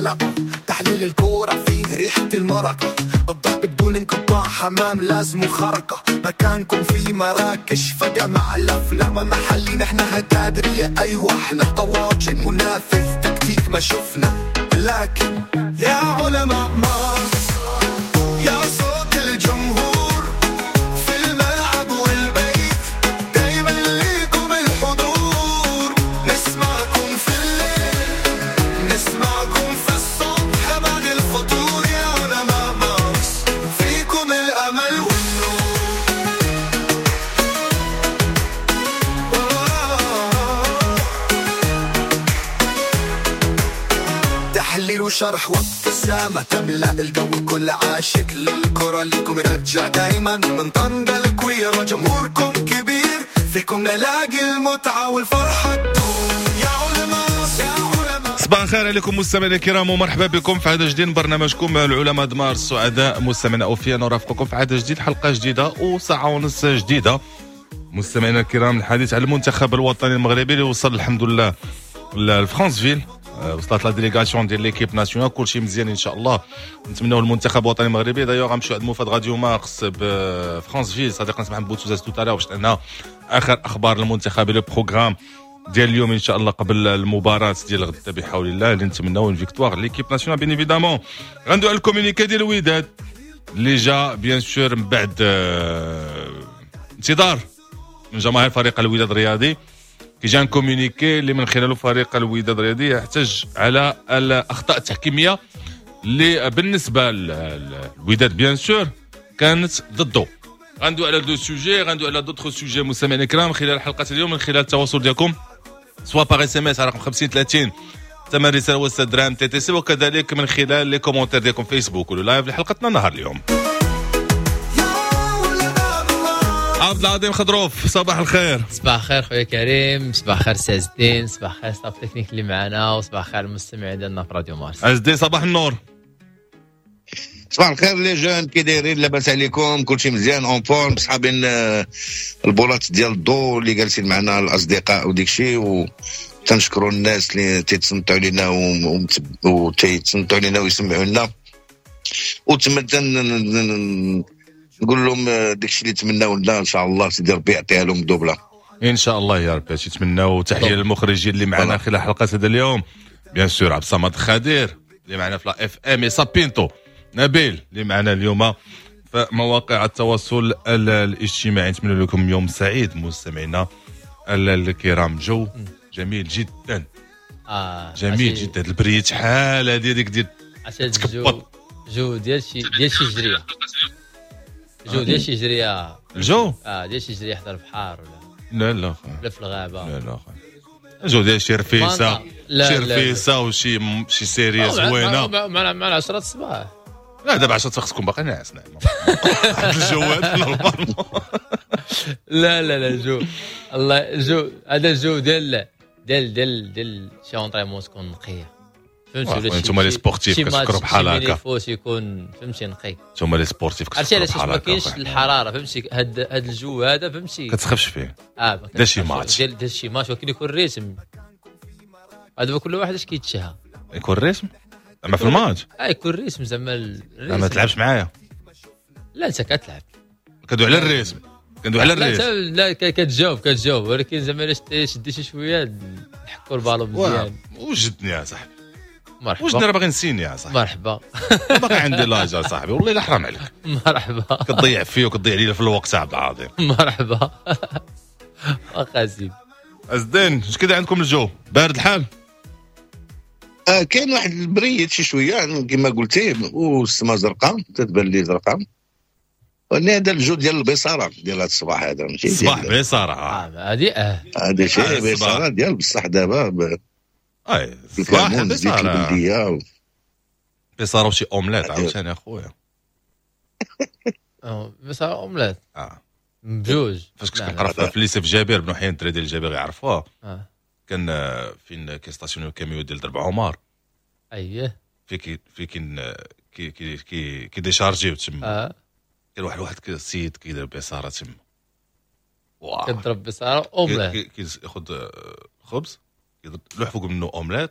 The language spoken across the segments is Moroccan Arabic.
الحلقة، تحليل الكورة فيه ريحة المرقة، الضرب بدون انقطاع، حمام لازم خرقة، مكانكم في مراكش فجمع الأفلام محلي، نحن هتادرية، أيوة احنا طواجن منافذ تكتيك ما شفنا، لكن يا علماء مارس يا صوت الجمهور في الملعب والبيت، دايما ليكم الحضور، نسمعكم في الليل نسمعكم في الصبح بعد الفطور، يا علماء مارس فيكم الأمل والنور. تحليل وشرح وابتسامة تملأ الجو، كل عاشق للكرة ليكم يرجع دايما، من طنجة الكويرة جمهوركم كبير، فيكم نلاقي المتعة والفرحة تدوم، يا علماء يا علماء. صباح الخير عليكم مستمعينا الكرام ومرحبا بكم في عدد جديد من برنامجكم العلماء دمار السعداء. مستمعينا اوفياء نرافقكم في عدد جديد، حلقة جديدة وساعة ونص جديدة. مستمعينا الكرام، الحديث على المنتخب الوطني المغربي اللي وصل الحمد لله لفرانسفيل، وصلت la délégation ديال l'équipe nationale، كلشي مزيان ان شاء الله. نتمناو المنتخب الوطني المغربي. d'ailleurs غنمشيو عند موفد راديو مارس بفرانسفيل، صديقنا سمح بوتوزاس tout à l'heure باش عندنا اخر اخبار المنتخب، le programme ديال اليوم ان شاء الله قبل المباراة ديال غدا بحول الله، اللي نتمناو une victoire l'équipe nationale bien évidemment. غندوي على ال communiqué ديال الوداد اللي جا bien sûr من بعد انتظار من جماهير فريق الوداد الرياضي. كي جا communiqué اللي من خلاله فريق الوداد الرياضي يحتج على الاخطاء التحكيميه اللي بالنسبة للوداد bien sûr كانت ضده. غندوي على deux sujets، غندوي على d'autres sujets مستمعينا الكرام خلال حلقة اليوم، من خلال التواصل ديالكم soit par SMS على رقم 50 30 ثمن رسالة وسط درهم TTC، وكذلك من خلال les commentaires ديالكم فيسبوك ولا live لحلقتنا نهار اليوم. عبد العظيم خضروف، صباح الخير. صباح الخير خويا كريم، صباح الخير سي عز الدين، صباح الخير staff technique اللي معنا، وصباح الخير المستمعين ديالنا في راديو مارس. عز الدين صباح النور. صباح الخير les jeunes، كي دايرين؟ لاباس عليكم؟ كلشي مزيان en forme؟ صحابين البولات ديال الضو اللي جالسين معنا الاصدقاء وديك الشيء، وتنشكروا الناس اللي تيتصنتوا علينا وتيتصنتوا علينا ويسمعوا لنا، وتما نقول لهم داكشي اللي تمناو لنا ان شاء الله سيدي ربي يعطيها لهم دوبله ان شاء الله يا ربي. هادشي تمناو. تحية للمخرجين اللي معنا خلال حلقة هذا اليوم، bien sûr عبد الصمد خدير اللي معنا في la FM، سابينتو نبيل اللي معنا اليوم في مواقع التواصل الاجتماعي. نتمنى لكم يوم سعيد مستمعينا الكرام. جو جميل جدا، جميل جدا. البريد شحال هذه ديك ديال تكبط، جو ديال شي جريه، جو ديال شي جريه، الجو ديال شي جريه حدا البحر ولا لا لا في الغابة، لا لا جو ديال شي رفيسه، شي رفيسه وشي شي série زوينة مع 10 الصباح. لا دابا 10 خصكم باقي ناعس. نعم الجو هذا normalement. لا لا لا جو الله، جو هذا الجو ديال ديال ديال ديال شي entraînement تكون نقية، فهمتي؟ ولا انتم les sportifs كتفكروا بحال هكا، فوس يكون فهمتي نقي. انتم les sportifs كتفكروا بحال هكا، ما كاينش الحرارة فهمتي. هاد الجو هذا فهمتي كتسخفش فيه. دا شي ماتش، ديال شي ماتش، ولكن يكون rythme. هذا كل واحد اش كيتشهى يكون rythme زعما في الماتش. يكون rythme زعما ال rythme. ما تلعبش معايا. لا انت كتلعب، كندوي على ال rythme، كندوي على ال rythme. لا كتجاوب، ولكن زعما الا شدي شي شوية نحكوا البالون مزيان. وجدني يا صاحبي، مرحبا. وجدني راه باغي نسيني يا صاحبي. مرحبا، باقي عندي l'âge يا صاحبي، والله الا حرام عليك. مرحبا، كتضيع فيا وكتضيع لي في الوقت عبد العظيم. مرحبا واخا زيد. أزدين، اش كذا عندكم الجو بارد الحال؟ كاين واحد البريد شي شوية كما قلتي، والسما زرقاء تتبان لي زرقاء. هذا الجو ديال البصاره ديال هذا الصباح هذا، ماشي الصباح بصاره. هذه هذا شيء بصاره ديال بصح دابا. اي الصباح بصاره، بصاره وشي اومليت عاوتاني اخويا. بصاره اومليت بجوج. فاش كنت كنقرا في lycée في جابر بن حيان، الدراري ديال جابر يعرفوها. كان فين كيستاسيونيو الكاميو ديال درب عمر. اييه في كي كي كي كي كي ديشارجيو تما. كان واحد السيد كيدير بصاره تما. كضرب بصاره اومليت، كياخذ خبز لوح فوق منه اومليت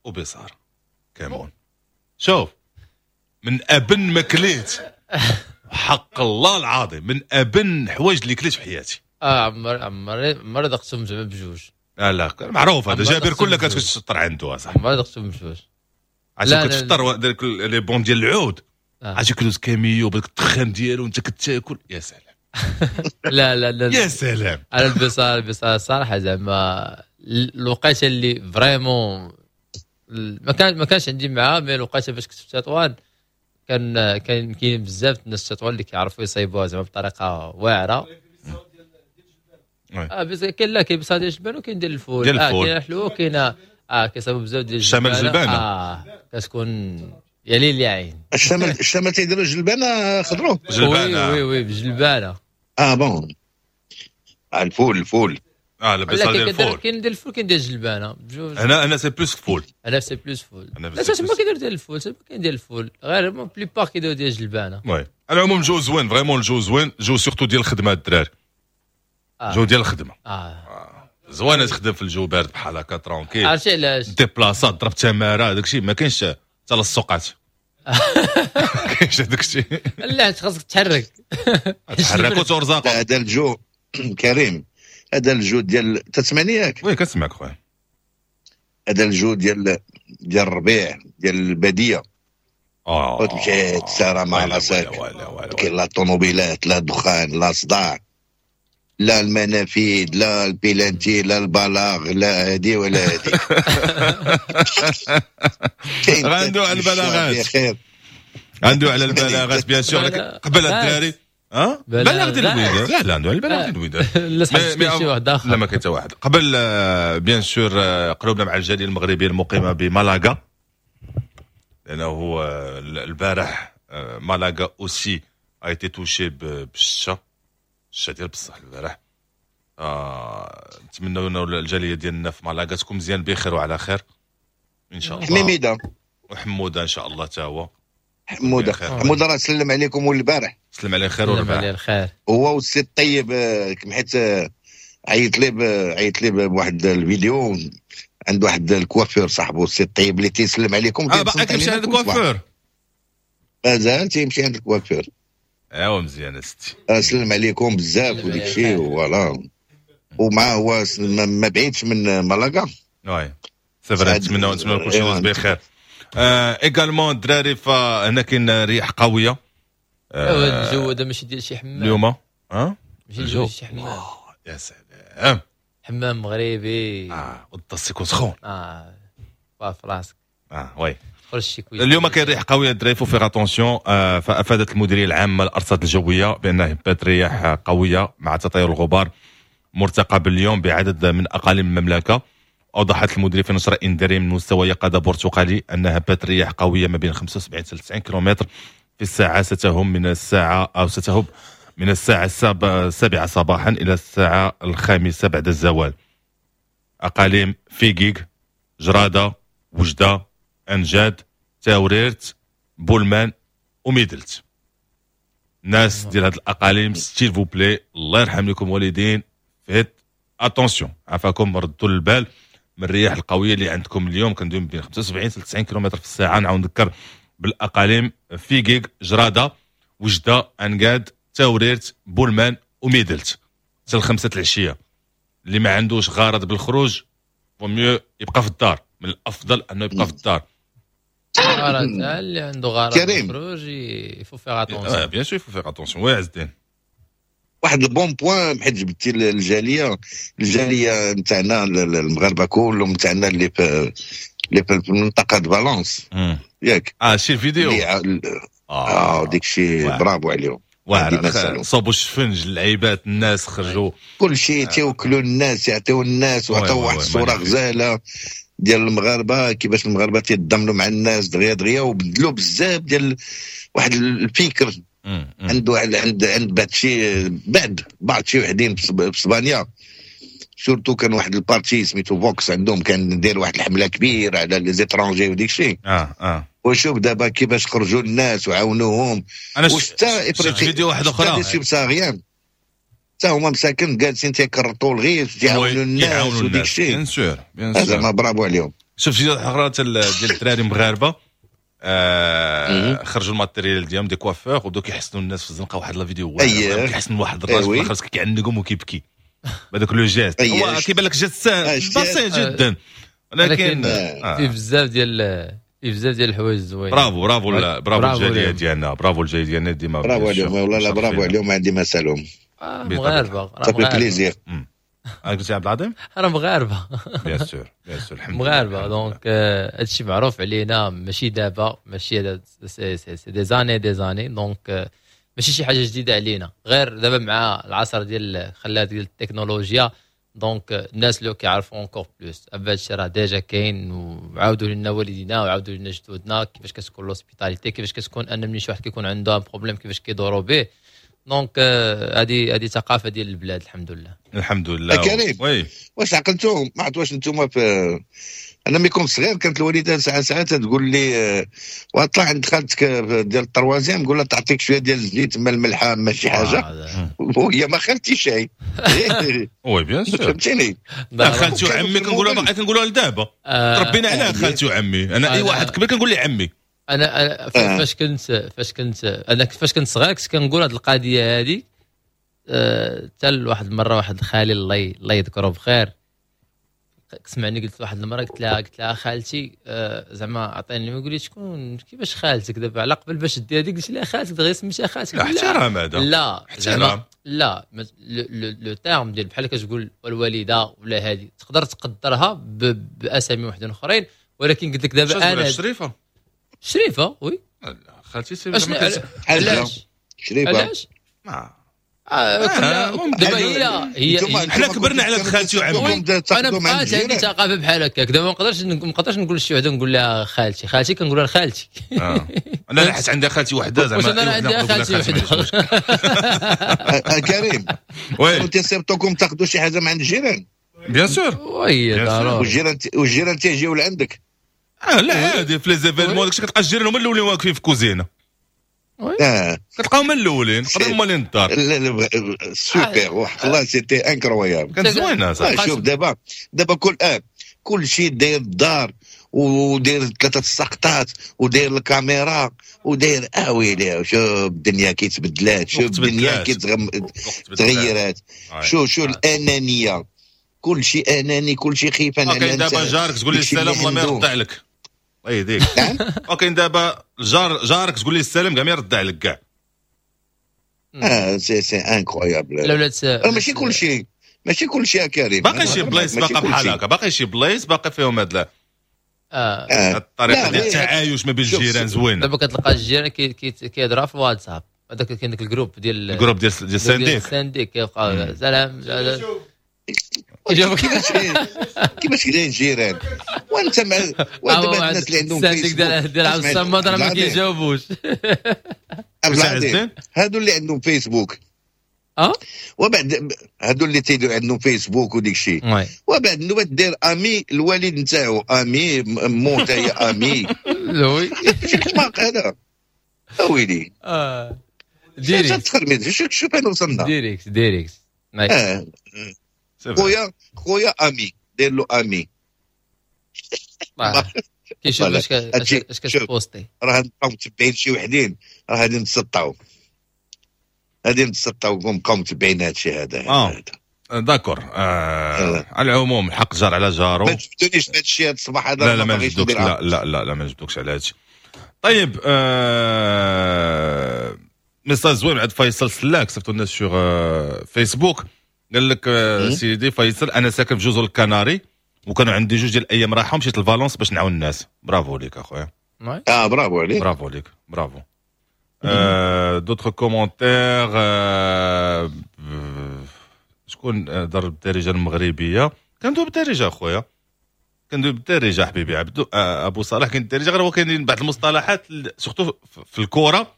وبصاره. كمون. شوف من ابن ما كليت، حق الله العظيم من ابن حوايج اللي كليت في حياتي. عمر ذقتهم زعما بجوج. لا لا معروف هذا جابر كلها كتفطر عنده صاحبي. عمر ذقتهم بجوج. عرفتي كتفطر داك les bons ديال العود، عرفتي كدوز كاميو بداك الدخان ديالو وانت كتاكل، يا سلام. لا لا لا يا سلام. انا البصاره الصراحة زعما الوقيته اللي vraiment ما كانش عندي معاه، mais الوقيته فاش كنت في تطوان كان كاين بزاف الناس تطوان اللي كيعرفوا يصايبوها زعما بطريقة واعرة. بس كاين لا كاين بصاره ديال الجبان وكاين ديال الفول، كاين الحلو كاين كيصايبوا بزاف ديال الشمال الجلبانه كتكون يا ليل يا عين. الشمال تيديروا الجلبانه خضرو جلبانه. oui oui بالجلبانه. bon الفول البصله ديال الفول. كاين ديال الفول كاين ديال الجلبانه بجوج. انا c'est plus فول. انا c'est plus فول. لا تما كيدير ديال الفول، تما كاين ديال الفول غير la plupart كيديروا ديال الجلبانه. oui على العموم جو زوين، vraiment جو زوين، جو surtout ديال الخدمة الدراري. جو ديال الخدمة زوينة تخدم في الجو بارد بحال هكا tranquille. عرفتي علاش؟ déplaça ضرب تماره داك الشيء ما كاينش تلصقات. ما كاينش هذاك الشيء. لا خاصك تحرك تحرك وترزق. هذا الجو كريم، هذا الجو ديال تسمعني ياك؟ oui كنسمعك خويا. هذا الجو ديال الربيع ديال البادية. وتمشي تسارى مع راسك، كاين لا طوموبيلات لا دخان لا صداع لا المنافذ لا البيلانتي لا البلاغ لا هادي ولا هادي. عنده على البلاغات، عنده على البلاغات bien sûr. قبل الدراري بلاغ ديال الوداد. لا لا عنده على البلاغ ديال الوداد. لا شي واحد اخر. لا ما كاين حتى واحد. قبل bien sûr قلوبنا مع الجالية المغربية المقيمه بمالاغا، لانه البارح مالاغا aussi a été touchée بالشتا، الشتا ديال بصح البارح. نتمنوا انه الجالية ديالنا في مالاغا تكون مزيان بخير وعلى خير ان شاء الله. حميده وحموده ان شاء الله تا هو. حموده راه سلم عليكم والبارح. سلم عليه خير والبارح. عليه الخير. هو والسي الطيب، حيت عيط لي بواحد الفيديو عند واحد الكوافير صاحبه السي الطيب اللي تيسلم عليكم. باقي كيمشي عند الكوافير؟ مازال تيمشي عند الكوافير. ايوا مزيان استي. سلم عليكم بزاف وديك الشيء voilà. ومع هو ما بعيدش من مالاغا. oui c'est vrai. نتمنى كلشي يدوز بخير. également الدراري فهنا كاين رياح قوية. الجو هذا ماشي ديال شي حمام اليوم. ماشي الجو شي حمام. يا سلام حمام مغربي. والطاس يكون سخون. في راسك. oui اليوم كاين ريح قوية الدراري، faut faire attention. فافادت المديرية العامة للارصاد الجوية بان هبات رياح قوية مع تطاير الغبار مرتقب اليوم بعدد من اقاليم المملكة. اوضحت المديرية في نشره انذاريه من مستوى يقظه برتقالي ان هبات رياح قوية ما بين 75 حتى 90 كيلومتر في الساعة ستهم من الساعة او ستهب من الساعة 7 صباحا الى الساعة 5 بعد الزوال. اقاليم فيكيك، جراده، وجده، انجاد، تاوريرت، بولمان وميدلت. الناس ديال هاد الاقاليم s'il vous plaît الله يرحم لكم والدين، faites attention، عافاكم ردوا البال من الرياح القوية اللي عندكم اليوم. كندوي بين 75 حتى 90 كيلومتر في الساعة. نعاود نذكر بالاقاليم فيكيك، جراده، وجده، انقاد، تاوريرت، بولمان وميدلت حتى 5 العشية. اللي ما عندوش غرض بالخروج vaut mieux يبقى في الدار، من الافضل انه يبقى في الدار. غرض اللي عنده غرض بالخروج il faut faire attention. bien sûr faut faire attention. oui عز الدين واحد ال bon point حيت جبتي الجالية نتاعنا المغاربة كلهم نتاعنا اللي في المنطقة د فالونس ياك. شي الفيديو ديك الشيء برافو عليهم. صابوا الشفنج اللعيبات، الناس خرجوا كل شيء تيوكلوا الناس، يعطيو الناس، وعطاو واحد الصورة غزاله ديال المغاربة كيفاش المغاربة تيتضامنوا مع الناس دغيا دغيا، وبدلوا بزاف ديال واحد الفكر عنده عند بعض شي بعض شي وحدين في اسبانيا surtout. كان واحد ال parti سميتو فوكس عندهم كان داير واحد الحملة كبيرة على les étrangers وديك الشيء. وشوف دابا كيفاش خرجوا الناس وعاونوهم. وشتا فيديو واحد اخرى subsahariens حتى هما مساكن جالسين تيكرطوا الغيث تيعاونوا الناس وديك الشيء. bien sûr bien sûr زعما برافو عليهم. شوف شي اخرى ديال الدراري المغاربة خرجوا ال matériel ديالهم des coiffeurs وبداو كيحسنوا الناس في الزنقة، واحد la vidéo كيحسن واحد الراجل في الاخر كيعنقهم وكيبكي بهذاك le geste. هو كيبان لك geste بسيط جدا، ولكن فيه بزاف ديال الحوايج زوينين. bravo bravo bravo الجالية ديالنا، برافو الجالية ديالنا ديما، برافو عليهم والله. لا برافو عليهم، عندي ما سالهم مغاربة. ça fait plaisir. قلتي عبد العظيم راه مغاربة، bien sûr bien sûr، الحمد لله مغاربة. donc هادشي معروف علينا، ماشي دابا، ماشي c'est des années des années، donc ماشي شي حاجة جديدة علينا، غير دابا مع العصر ديال خلات ديال التكنولوجيا، donc الناس اللي كيعرفوا encore plus. هادشي راه déjà كاين، وعاودوا لنا والدينا وعاودوا لنا جدودنا كيفاش كتكون l'hospitalité، كيفاش كتكون ان ملي شي واحد كيكون عنده un problème كيفاش كيدوروا به. donc هذه ثقافة ديال البلاد، الحمد لله. الحمد لله. كريم oui، واش عقلتو ما عرفت واش نتوما في، انا ملي كنت صغير كانت الوالدة ساعة ساعات تقول لي وطلع عند خالتك ديال ال troisième، قول لها تعطيك شوية ديال الزيت ما الملحة ما شي حاجة، وهي ما خالتي شيء. oui bien sûr، فهمتيني. خالتي وعمي كنقولوها، باقي كنقولوها لدابا، تربينا عليها خالتي وعمي. انا اي واحد كبير كنقول لي عمي. انا فاش كنت انا فاش كنت صغير كنت كنقول هذه القضية هذه حتى لواحد المرة، واحد خالي الله يذكره بخير، سمعني قلت واحد المرة، قلت لها خالتي زعما عطيني، يقول لي شكون كيفاش خالتك دابا على قبل باش دير هذيك؟ قلت لها خالتك دغيا سميتها خالتك. لا احترام هذا، لا زعما لا le terme ديال بحال كتقول الوالدة ولا هذه تقدر تقدرها باسامي وحدين اخرين، ولكن قلت لك دابا انا شريفه شريفه oui خالتي سي علاش شريفه علاش دابا هي حنا كبرنا على خالتي وعمي. انا بقات عندي ثقافة بحال هكاك، دابا ما نقدرش نقول لشي وحده نقول لها خالتي، خالتي كنقولها لخالتي. انا حيت عندها خالتي وحده زعما، انا عندها خالتي وحده. كريم oui تيصيفطوكم تاخذوا شي حاجة من عند الجيران؟ bien sûr oui ضروري. والجيران تيجيو لعندك؟ لا عادي في les événements داكشي كتلقى الجيران هما الاولين واقفين في كوزينه، كتلقاهم هما الاولين قبل هما اللي الدار. لا سوبر وحق الله، c'était incroyable، كانت زوينة صح. شوف دابا كل شيء داير الدار، وداير 3 السقطات، وداير الكاميرا، وداير اويلي. شوف الدنيا كيتبدلات، شوف الدنيا كيتغيرات، شو الانانية، كل شيء اناني، كل شيء خيف. انا كاين دابا جارك تقول لي السلام والله ما يرد عليك، الله يهديك. وكاين دابا جارك تقول لي السلام كاع ما يرد عليك كاع. c'est incroyable. لا ماشي كل شيء، ماشي كل شيء كريم، باقي شي بلايص باقا بحال هكا، باقي شي بلايص باقي فيهم هاد الطريقة ديال التعايش ما بين الجيران زوينة. دابا كتلقى الجيران كيهضروا في الواتساب، هذاك كاين داك ال groupe ديال ال groupe ديال ال syndic، ال syndic كيبقى سلام. كيفاش كاين الجيران وانت مع ودابا الناس اللي عندهم فيسبوك ديال عبد الصمد راه ما كيجاوبوش. هادو اللي عندهم فيسبوك وبعد هادو اللي تيديروا عندهم فيسبوك وديك الشيء، وبعد نوبه دير ami الوالد نتاعو ami مو تا هي ami oui شي حماق هذا اويلي. direct تخرميز. شوف فين وصلنا. direct direct خويا ami دير له ami كيشوف اش كتبوستي. راه نبقاو متبعين شي وحدين، راه غادي نتسطاو، غادي نتسطاو ونبقاو متبعين هادشي هذا. d'accord. على العموم الحق جار على جارو. ما تجبدونيش في هادشي هاد الصباح هذا. لا لا ما نجبدوكش، لا لا لا لا ما نجبدوكش على هادشي. طيب message زوين عند فيصل سلاك، صيفطوا لنا sur فيسبوك. قال لك سيدي فيصل انا ساكن في جزر الكناري وكانوا عندي 2 ديال الايام راحة مشيت لفالونس باش نعاون الناس. برافو ليك اخويا. برافو عليك، برافو ليك، bravo. d'autres commentaires. شكون ضرب الدارجة المغربية؟ كندوي بالدارجة اخويا، كندوي بالدارجة حبيبي عبدو ابو صالح. كاين الدارجة، غير هو كاينين بعض المصطلحات surtout في الكره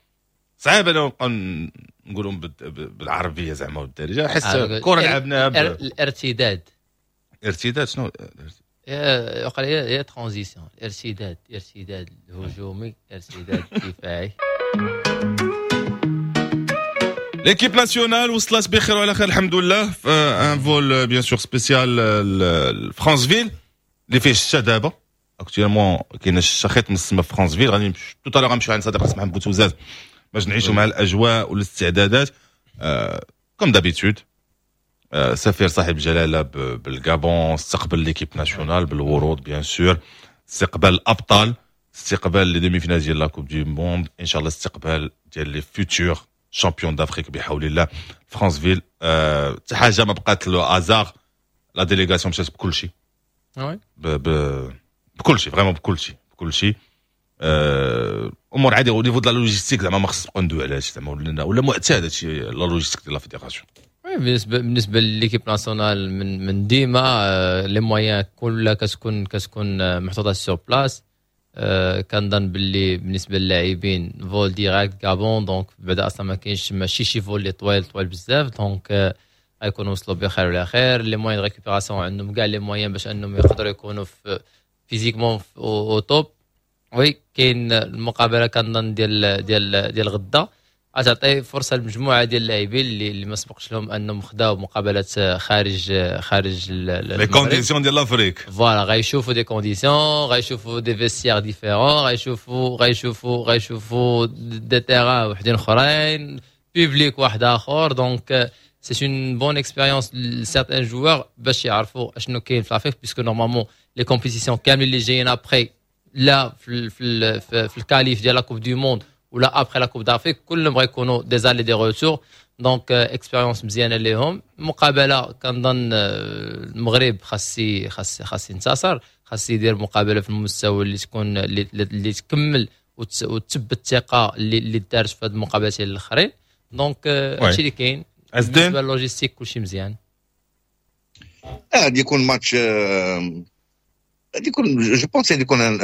صعيب انا نبقى نقولهم بالعربية زعما والدارجه، حيت الكره لعبناها الارتداد. ارتداد شنو؟ وقال هي transition، ارتداد، ارتداد هجومي، ارتداد دفاعي. l'équipe nationale وصلت بخير وعلى خير الحمد لله في un vol bien sûr spécial لفرانسفيل اللي فيه الشتا دابا. actuellement كاين الشخيط من السما في فرانسفيل. غادي tout à l'heure غنمشيو عند صديق اسمه بوتوزاز باش نعيشوا مع الاجواء والاستعدادات. comme d'habitude سفير صاحب الجلاله بالغابون استقبل l'équipe nationale بالورود، bien sûr استقبال الابطال، استقبال les demi-finales ديال la Coupe du monde، ان شاء الله استقبال ديال les futurs champions d'Afrique بحول الله. فرانسفيل حتى حاجة ما بقات le hasard، la délégation مشات بكل شيء، بكل شيء، vraiment بكل شيء بكل شيء. امور عادية au niveau de la logistique، زعما ما خص نبقاو ندوي على هادشي، زعما ولا معتاد هادشي la logistique ديال la fédération. بالنسبه l'équipe nationale من ديما les moyens كلها كتكون محطوطة sur place. كنظن باللي بالنسبة للاعبين vol direct غابون، donc بعدا اصلا ما كاينش ماشي شي vol اللي طويل طويل بزاف، donc غيكونوا وصلوا بخير وعلى خير. les moyens de récupération عندهم كاع les moyens باش انهم يقدروا يكونوا في physiquement au top. oui، كاين المقابلة كنظن ديال غدا غتعطي فرصة لمجموعة ديال اللاعبين اللي ما سبقش لهم انهم خداو مقابلات خارج les conditions ديال l'Afrique. voilà، غيشوفوا des conditions، غيشوفوا des vestiaires différents، غيشوفوا des terrains وحدين اخرين، public واحد اخر، donc c'est une bonne expérience ل certains joueurs باش يعرفوا اشنو كاين في l'Afrique، puisque normalement les compétitions كاملين اللي جايين après، لا في ال qualifs ديال la Coupe du monde ولا après la Coupe d'Afrique، كلهم غيكونوا des allers des retours، donc expérience مزيانه ليهم. مقابله كنظن المغرب خاص ينتصر، خاص يدير مقابله في المستوى اللي تكون اللي تكمل وتثبت الثقة اللي دارت في هذه المقابلتين الاخرين، donc هادشي اللي كاين. بالنسبة لل logistique كلشي مزيان. غادي يكون ماتش، غادي يكون je pense غادي يكون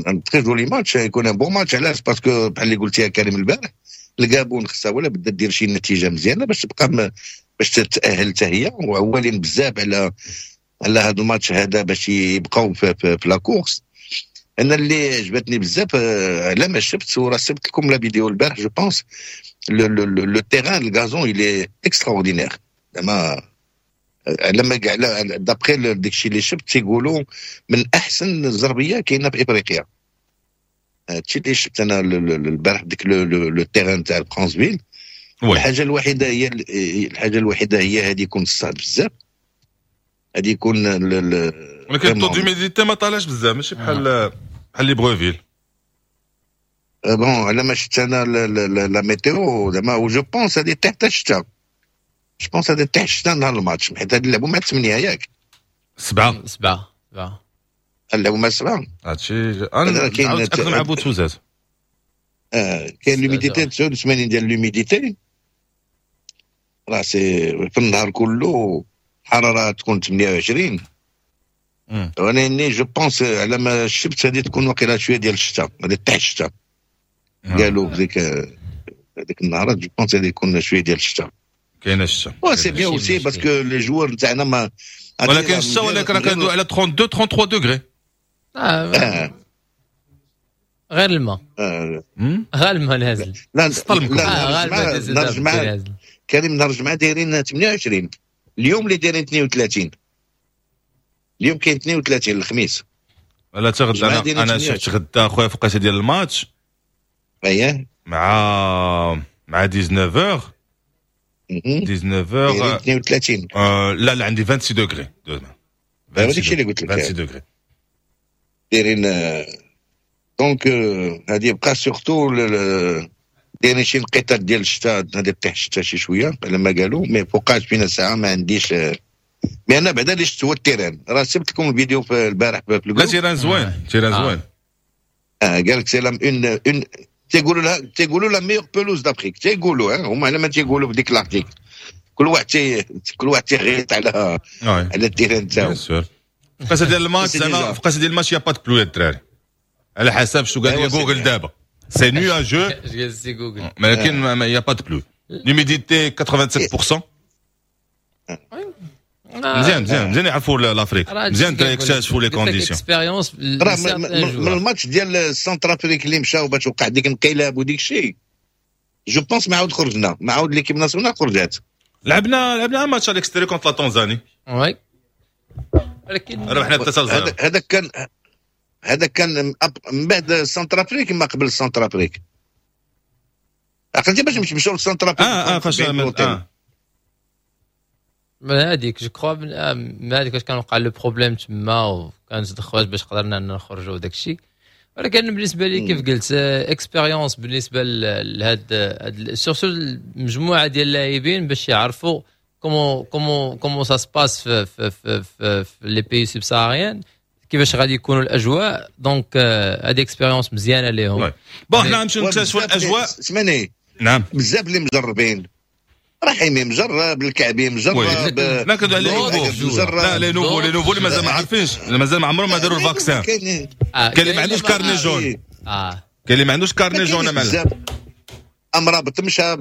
un très joli match، يكون un bon match. علاش؟ parce que بحال اللي قلتي يا كريم البارح، الكابون خصها ولا بدا دير شي نتيجة مزيانه باش تبقى باش تتاهل حتى هي، وعوالين بزاف على هذا الماتش هذا باش يبقاو في la course. انا اللي عجبتني بزاف على ما شفت، وراه صيفط لكم la vidéo البارح je pense، le terrain، ال gazon il est extraordinaire. زعما لما على d'après داكشي اللي شفت تيقولوا من احسن الزربيه كاينه في افريقيا. هادشي اللي شفت انا البارح ديك le terrain تاع فرانسفيل. الحاجه الوحيده هي هذه يكون الصهد بزاف، هذه يكون ولكن taux d'humidité ما طالعش بزاف، ماشي بحال ليبروفيل. bon، على ما شفت انا la météo زعما je pense هذه تحت الشتاء، je pense هذا تحت الشتاء نهار الماتش، حيت هاد نلعبوا مع 8 ياك؟ 7. 7 7. نلعبوا مع 7. هادشي انا كاين مع بوتوزات. كاين l'humidité 89 ديال l'humidité، راه c'est في النهار كله الحرارة تكون 28. وانا je pense على ما شفت هذه تكون واقيلا شوية ديال الشتاء، غادي تحت الشتاء قالوا في هذيك النهارات، je pense غادي يكون شوية ديال الشتاء. كاينه الشتاء. c'est bien aussi parce que les joueurs نتاعنا ما ولكن الشتاء، ولكن راه كندوي على 32 33 degrés. آه. غير الماء غير الماء نازل. لا لا، نهار الجمعة كريم، نهار الجمعة دايرين 28، اليوم اللي دايرين 32، اليوم كاين 32 الخميس. لا تغدا انا شفت غدا خويا فوقاش ديال الماتش. اييه. مع 19 19 32. لا لا، عندي 26 degrés. هذاك الشيء اللي قلت لك. 26 degrés. دايرين donc هذه يبقى surtout دايرين شي نقيطات ديال الشتاء، هذه طيح الشتاء شي شوية على ما قالوا، mais فوقاش فينا ساعة ما عنديش. mais انا بعدا اللي شفت هو ال terrain، راه سبت لكم الفيديو في البارح في لا، terrain زوين، terrain زوين. قال لك c'est la une une تيقولوا لها تيقولوا la meilleure pelouse d'Afrique، تيقولوا هما على ما تيقولوا في ديك l'article، كل واحد تيغيط على ال terrain تاعو. bien sûr، فقاسه ديال الماتش زعما فقاسه ديال الماتش y a pas de pluie الدراري، على حسب شنو قال لي جوجل دابا c'est nuageux. جوجل. ولكن y a pas de pluie، l'humidité 87%. مزيان مزيان مزيان، يعرفوا l'Afrique مزيان، يكتشفوا les conditions. expérience. راه من الماتش ديال Centrafrique اللي مشاو باش وقع ديك الانقلاب وديك الشيء، je pense ما عاود خرجنا، ما عاود l'équipe nationale خرجات. لعبنا match à l'extérieur contre la Tanzanie. oui، ولكن ربحنا 3 0. هذاك كان هذا كان من بعد Centrafrique، ما قبل Centrafrique. عقلتي باش مشاو ل Centrafrique؟ فاش من هذيك je crois، من هذيك فاش كان وقع le problème تما وكانت تدخلات باش قدرنا نخرجوا وداك الشيء. ولكن بالنسبة لي كيف قلت expérience بالنسبة لهاد surtout المجموعة ديال اللاعبين باش يعرفوا comment ça se passe في في في في les pays subsahariens، كيفاش غادي يكونوا الاجواء. donc هذه expérience مزيانه ليهم. bon حنا نمشيو نكتشفوا الاجواء. سمعني. نعم. بزاف اللي مجربين، رحيمي مجرب، الكعبي مجرب، لا كندوي على les nouveaux، لا les nouveaux، les nouveaux اللي مازال ما عارفينش، مازال ما عمرهم ما داروا ال vaccin. كاين اللي ما عندوش carnet jaune، كاين اللي ما عندوش carnet jaune. مال امرابط مشى،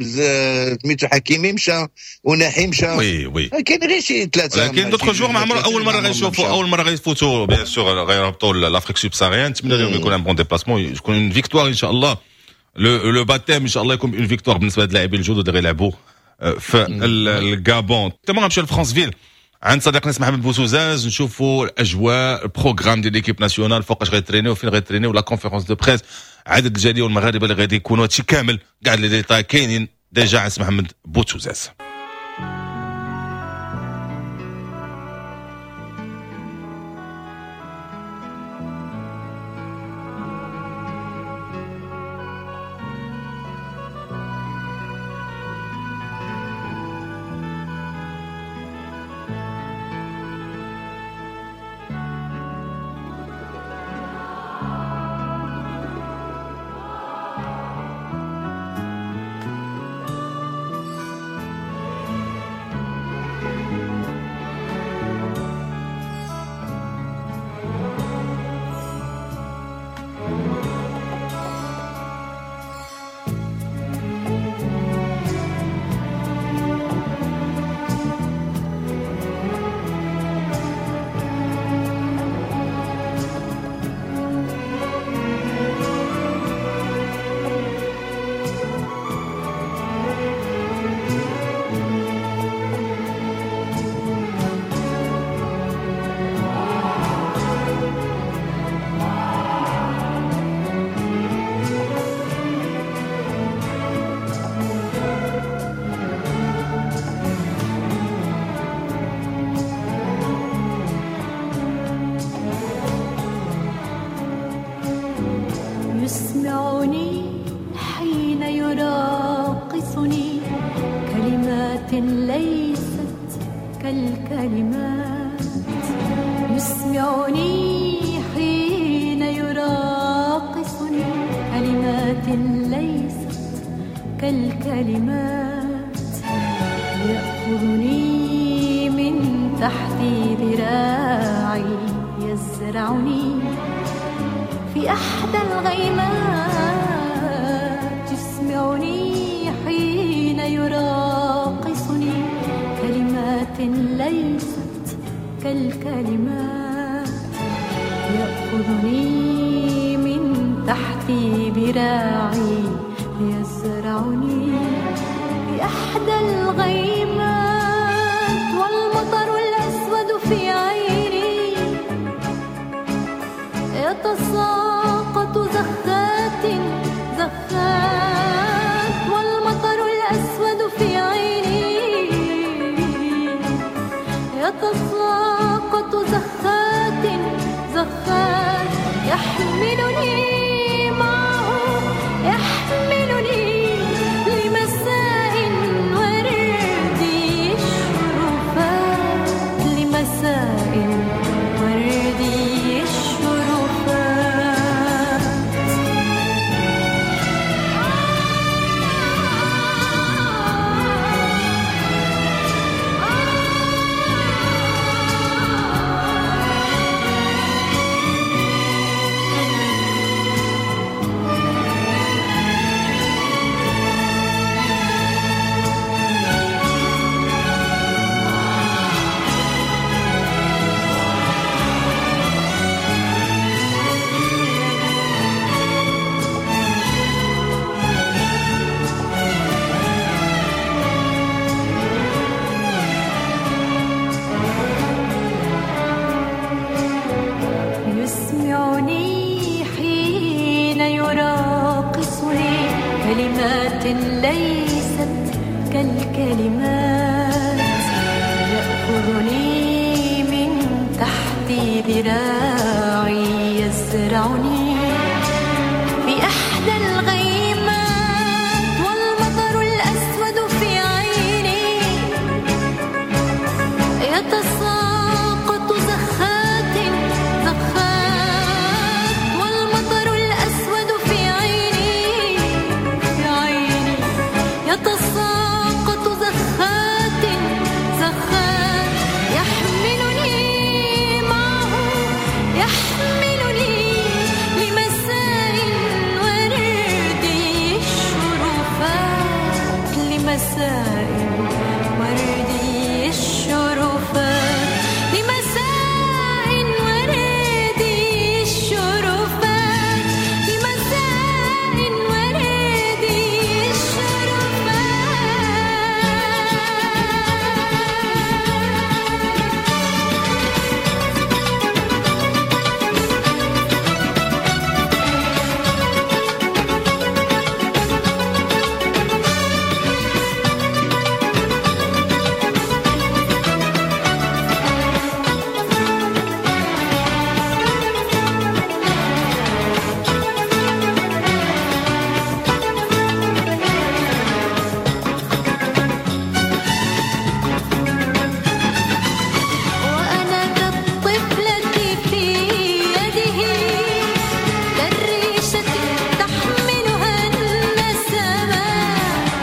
سميتو حكيمي مشى، وناحي مشى. oui oui كاين غير شي ثلاثة. لكن d'autres joueurs ما عمرهم اول مرة غيشوفوا، اول مرة غيفوتوا bien sûr غيربطوا l'Afrique subsaharienne. نتمنى لهم يكون un bon déplacement، يكون une victoire ان شاء الله. le baptême ان شاء الله يكون une victoire بالنسبة لهاد اللاعبين الجدد اللي غيلعبوا في الغابون. تما غنمشيو لفرانسفيل عند صديقنا محمد بوسوزاز، نشوفوا الاجواء، ال programme ديال l'équipe nationale، فوقاش غيترينيو، فين غيترينيو، la conférence de presse، عدد الجالية والمغاربة اللي غادي يكونوا، هادشي كامل كاع les détails كاينين déjà عند محمد بوتوزاز. كلمات ليست كالكلمات، يأخذني من تحت ذراعي يزرعني في إحدى الغيمات، والمطر الأسود في عيني يتساقط زخات زخات، والمطر الأسود في عيني في عيني يتساقط زخات زخات، يحملني معه يحملني لمساء وردي الشرفات، لمساء وردي الشرفات، لمساء وردي الشرفات، لمساء وردي الشرفات. وأنا كالطفلة في يده كالريشة تحملها النسمات،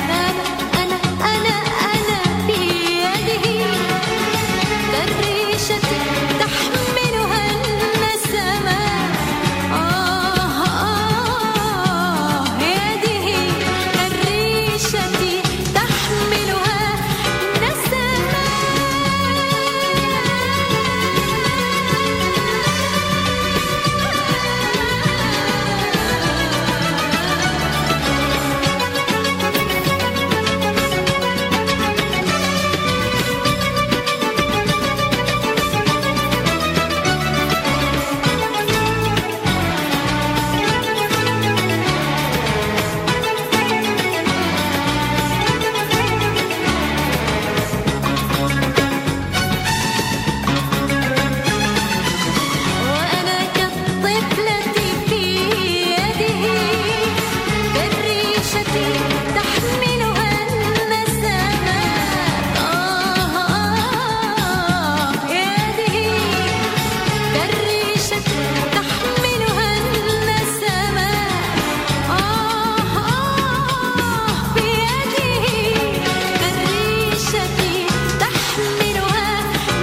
أنا أنا أنا أنا في يده كالريشة تحملها النسمات، آه آه يده كالريشة تحملها النسمات. وأنا كالطفلة في يده كالريشة تحملها النسمات، آه آه يده كالريشة تحملها النسمات، آه آه في يده كالريشة تحملها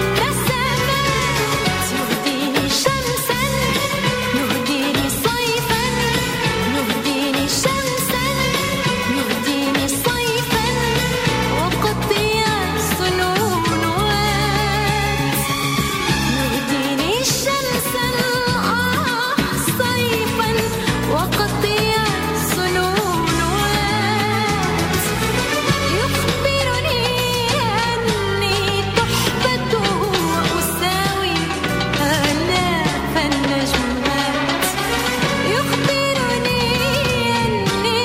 النسمات، يهديني شمسا يهديني صيفا، يهديني شمسا يهديني صيفا، وقطيع سنونوات، يهديني شمسا آه صيفا، وقطيع سنونوات، يخبرني أني تحفته وأساوي آلاف النجمات، يخبرني أني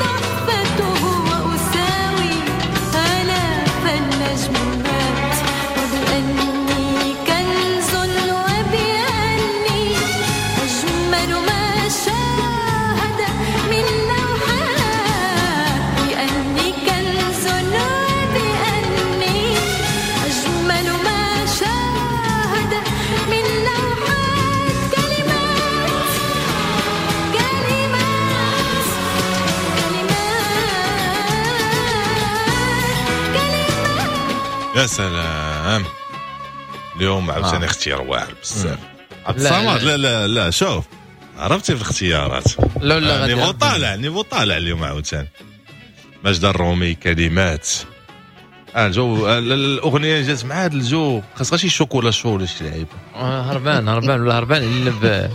تحفته وأساوي آلاف النجمات، وبأني كنز وبأني أجمل ما شاهد من لوحات، بأني كنز وبأني أجمل ما شاهد من لوحات، كلمات كلمات كلمات كلمات. يا سلام، اليوم عاوتاني اختيار واعر بزاف. عبد لا، الصمد، لا. لا لا لا شوف عرفتي في الاختيارات لا لا غادي niveau طالع، niveau طالع اليوم عاوتاني. ماجدة الرومي كلمات، الجو الاغنية جات مع هذا الجو، خاص غير شي chocolat chaud ولا شي لعيبة. هربان هربان ولا هربان الا ب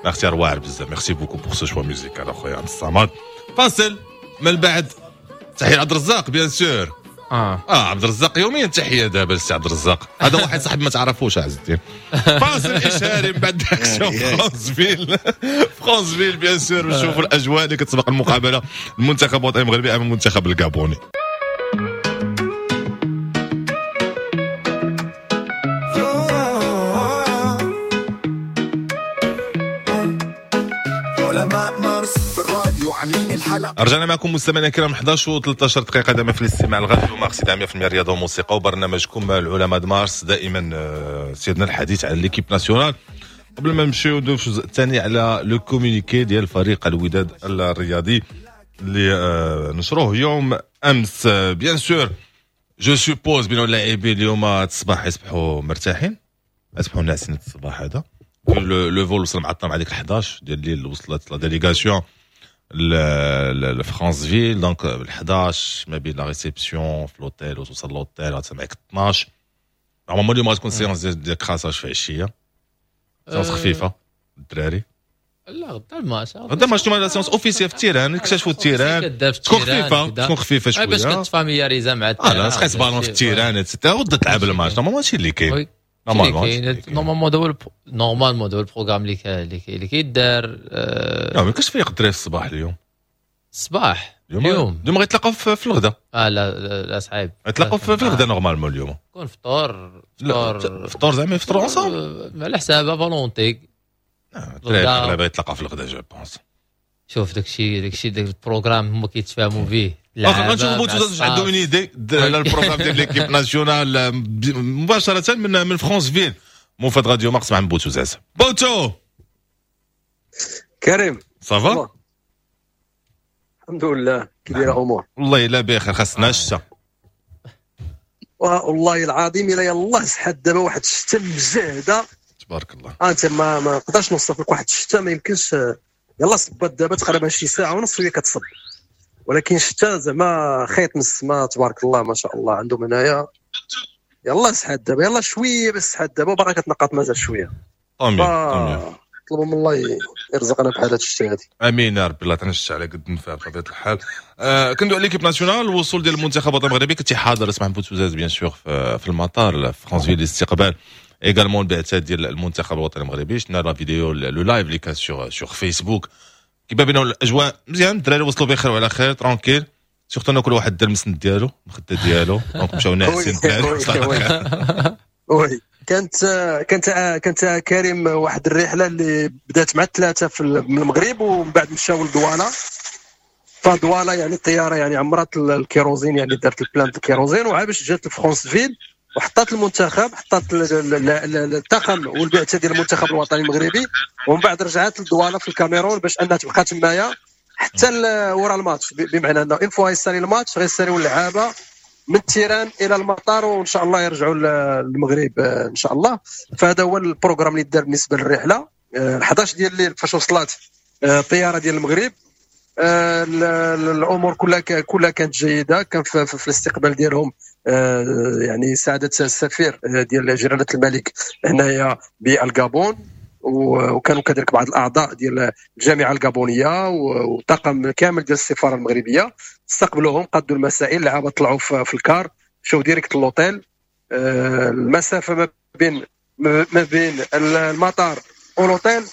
اختيار واعر بزاف. merci beaucoup pour ce choix musical اخويا عبد الصمد. فاصل من بعد تحية عبد الرزاق bien sûr. عبد الرزاق يوميا تحية دابا للسي عبد الرزاق، هذا واحد صاحبي ما تعرفوش عز الدين. فاصل اشهاري من بعد direction فرانسفيل، فرانسفيل bien sûr نشوفوا الاجواء اللي كتسبق المقابلة المنتخب الوطني المغربي امام المنتخب الكابوني. رجعنا معكم مستمعينا الكرام 11 و13 دقيقة دائما في الاستماع لراديو مارس 100% رياضة وموسيقى وبرنامجكم العلماء د مارس. دائما سيدنا الحديث على l'équipe nationale. قبل ما نمشيو ندوزو في الجزء الثاني على le communiqué ديال فريق الوداد الرياضي اللي نشروه يوم امس. bien sûr je suppose بان اللاعبين اليوم الصباح يصبحوا مرتاحين، يصبحوا ناعسين الصباح. هذا le vol وصل معطل مع ديك 11 ديال الليل، وصلت la délégation لفرانسفيل donc 11 ما بين la réception في l'hôtel وتوصل l'hôtel غتسمعك 12. normalement اليوم غتكون séance ديال crassage في العشية، séance خفيفة الدراري. لا غدا الماتش، غدا الماتش la séance officielle في ال terrain، اكتشفوا ال terrain تكون خفيفة، تكون خفيفة شوية باش كتفاميلياريزا مع ال terrain. لا تقيس بالون في ال terrain et cetera وغدا تلعب الماتش. normalement هادشي اللي كاين. normalement هو normalement هو ال programme اللي كيدار. لا ما كاينش فيق الدراري الصباح اليوم. الصباح اليوم غيتلاقاو في الغداء. لا لا صعيب، غيتلاقاو في الغداء normalement اليوم. كون فطور فطور زعما يفطروا ensemble على حساب volonté. الدراري الاغلبية يتلاقاو في الغداء je pense. شوف داكشي داك ال programme هما كيتفاهموا فيه. غنشوفوا بوتو عندهم une idée على ال programme ديال l'équipe nationale مباشرة من فرانسفيل. موفد راديو مارس مع بوتو زاز. بوتو كريم ça va؟ الحمد لله، كي دايرة الامور؟ والله الا بخير، خاصنا الشتا والله العظيم الا يلاه سحات دابا واحد الشتا مجهده تبارك الله. انت ما نقدرش نوصف لك واحد الشتا ما يمكنش. يلاه صبات دابا تقريبا شي ساعة ونص وهي كتصب، ولكن الشتا زعما خيط من السما تبارك الله ما شاء الله عندهم هنايا. يلاه سحات دابا، يلاه شوية بس سحات دابا وباقا كتنقط مازال شوية. امين طلبوا من الله يرزقنا بحال هاد الشتا هادي. امين يا ربي. الله تنشع على قد النفع بطبيعة الحال. كندوي على l'équipe nationale، الوصول ديال المنتخب الوطني المغربي. كنتي حاضر اسمع بوتوزاز bien sûr في المطار في فرانسفيل الاستقبال également البعثات ديال المنتخب الوطني المغربي. شفنا la vidéo le live اللي كان sur فيسبوك كيبان بان الاجواء مزيان، الدراري وصلوا بخير وعلى خير tranquille، surtout ان كل واحد دار المسند ديالو المخدة ديالو donc مشاو ناعسين. oui كانت كريم واحد الرحلة اللي بدات مع 3 في المغرب ومن بعد مشاو لدواله. فدواله يعني الطيارة يعني عمرات الكيروزين، يعني دارت ال plein الكيروزين وعاد باش جات لفرانسفيل وحطات المنتخب، حطات الطاقم والبعثه ديال المنتخب الوطني المغربي، ومن بعد رجعت لدواله في الكاميرون باش انها تبقى تمايا حتى ورا الماتش. بمعنى انه une fois يسالي الماتش غيساليو اللعابه من ال terrain الى المطار وان شاء الله يرجعوا للمغرب ان شاء الله. فهذا هو ال programme اللي دار بالنسبة للرحلة. 11 ديال الليل فاش وصلت الطيارة ديال المغرب، الامور كلها كانت جيدة. كان في الاستقبال ديالهم يعني سعادة السفير ديال جلاله الملك هنايا بالغابون، وكانوا كذلك بعض الاعضاء ديال الجامعة الغابونيه وطاقم كامل ديال السفارة المغربية. استقبلوهم، قادوا المسائل، اللعابه طلعوا في ال car مشاو direct l'hôtel. المسافة ما بين المطار ولوطيل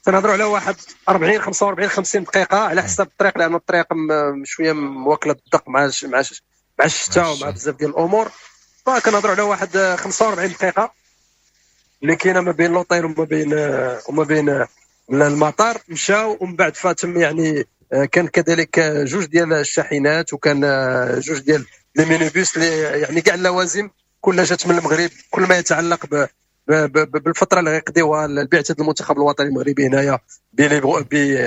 تنهضروا على واحد 40 45 50 دقيقة على حسب الطريق، لان الطريق شوية مواكله الدق مع الشتاء ومع بزاف ديال الامور. فكنهضروا على واحد 45 دقيقة اللي كاينه ما بين لوطيل وما بين المطار. مشاو ومن بعد فاتم يعني كان كذلك جوج ديال الشاحنات وكان جوج ديال les minibus اللي يعني كاع اللوازم كلها جات من المغرب، كل ما يتعلق بالفترة اللي غيقضيوها البعثة المنتخب الوطني المغربي هنايا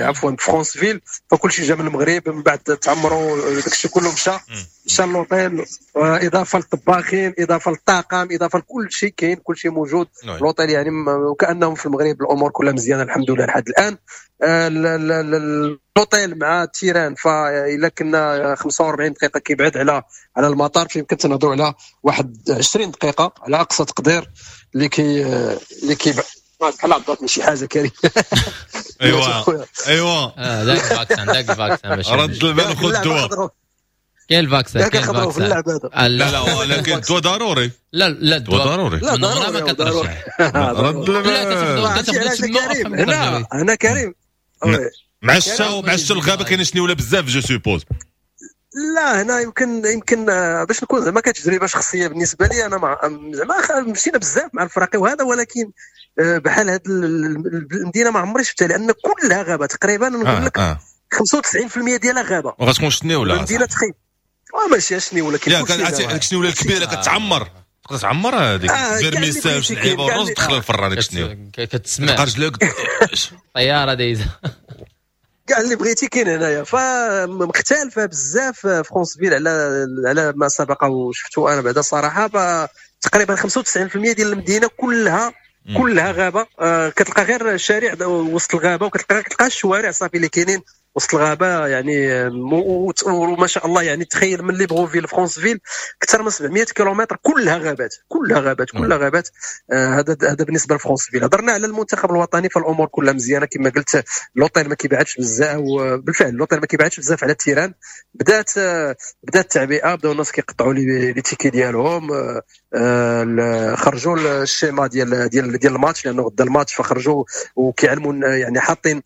عفوا فرانسفيل. فكل شيء جا من المغرب. من بعد تعمروا داك الشيء كله مشى لوطيل، اضافه للطباخين، اضافه للطاقم، اضافه لكل شيء كاين، كل شيء موجود لوطيل يعني وكانهم في المغرب. الامور كلها مزيانه الحمد لله لحد الان. لوطيل مع ال terrain فإلا كنا 45 دقيقة كيبعد على المطار، فيمكن تنهضروا على واحد 20 دقيقة على اقصى تقدير اللي كي بحال عضتني شي حاجة كريم. ايوا ايوا داك ال vaccin، داك ال vaccin باش رد البال وخذ الدواء. كاين ال vaccin، كاين كنخبروا في اللعب هذا. لا لا، ولكن الدواء ضروري. لا لا، الدواء ضروري. لا ضروري، ما كترجع. رد لا. هنا هنا كريم. مع الشتا، مع الشتا الغابة كاين شنيوله بزاف، je suppose. لا، هنا يمكن باش نكون زعما كتجربة شخصية بالنسبة لي انا، مع زعما مشينا بزاف مع الفراقي وهذا، ولكن بحال هاد المدينة ما عمري شفتها، لان كلها غابه تقريبا، نقول لك 95% ديالها غابه. وغتكون شنيوله المدينه، تخيل، ماشي شنيوله. كاين كاين شنيوله الكبيرة كتعمر، تقدر تعمر هذيك vermicelles لعيبة والرز، دخل الفران ديك الشنيوله. كتسمع رجلك. طيارة دايزه. كاع اللي بغيتي كاين هنايا. فمختلفه بزاف فرانسفيل على ما سبق وشفتو انا بعدا صراحه. تقريبا 95% ديال المدينة كلها كلها غابه. كتلقى غير شارع وسط الغابه، وكتلقى الشوارع صافي اللي كاينين وسط الغابة يعني. وما شاء الله، يعني تخيل من ليبروفيل فرانسفيل اكثر من 700 كيلومتر كلها غابات، كلها غابات، كلها غابات. هذا بالنسبة لفرانسفيل. هضرنا على المنتخب الوطني، فالامور كلها مزيانه كما قلت. لوطيل ما كيبعدش بزاف، وبالفعل لوطيل ما كيبعدش بزاف على ال terrain. بدات التعبئه، بداو الناس كيقطعوا les tickets ديالهم. خرجوا ال schéma ديال الماتش، لانه غدا الماتش، فخرجوا وكيعلموا، يعني حاطين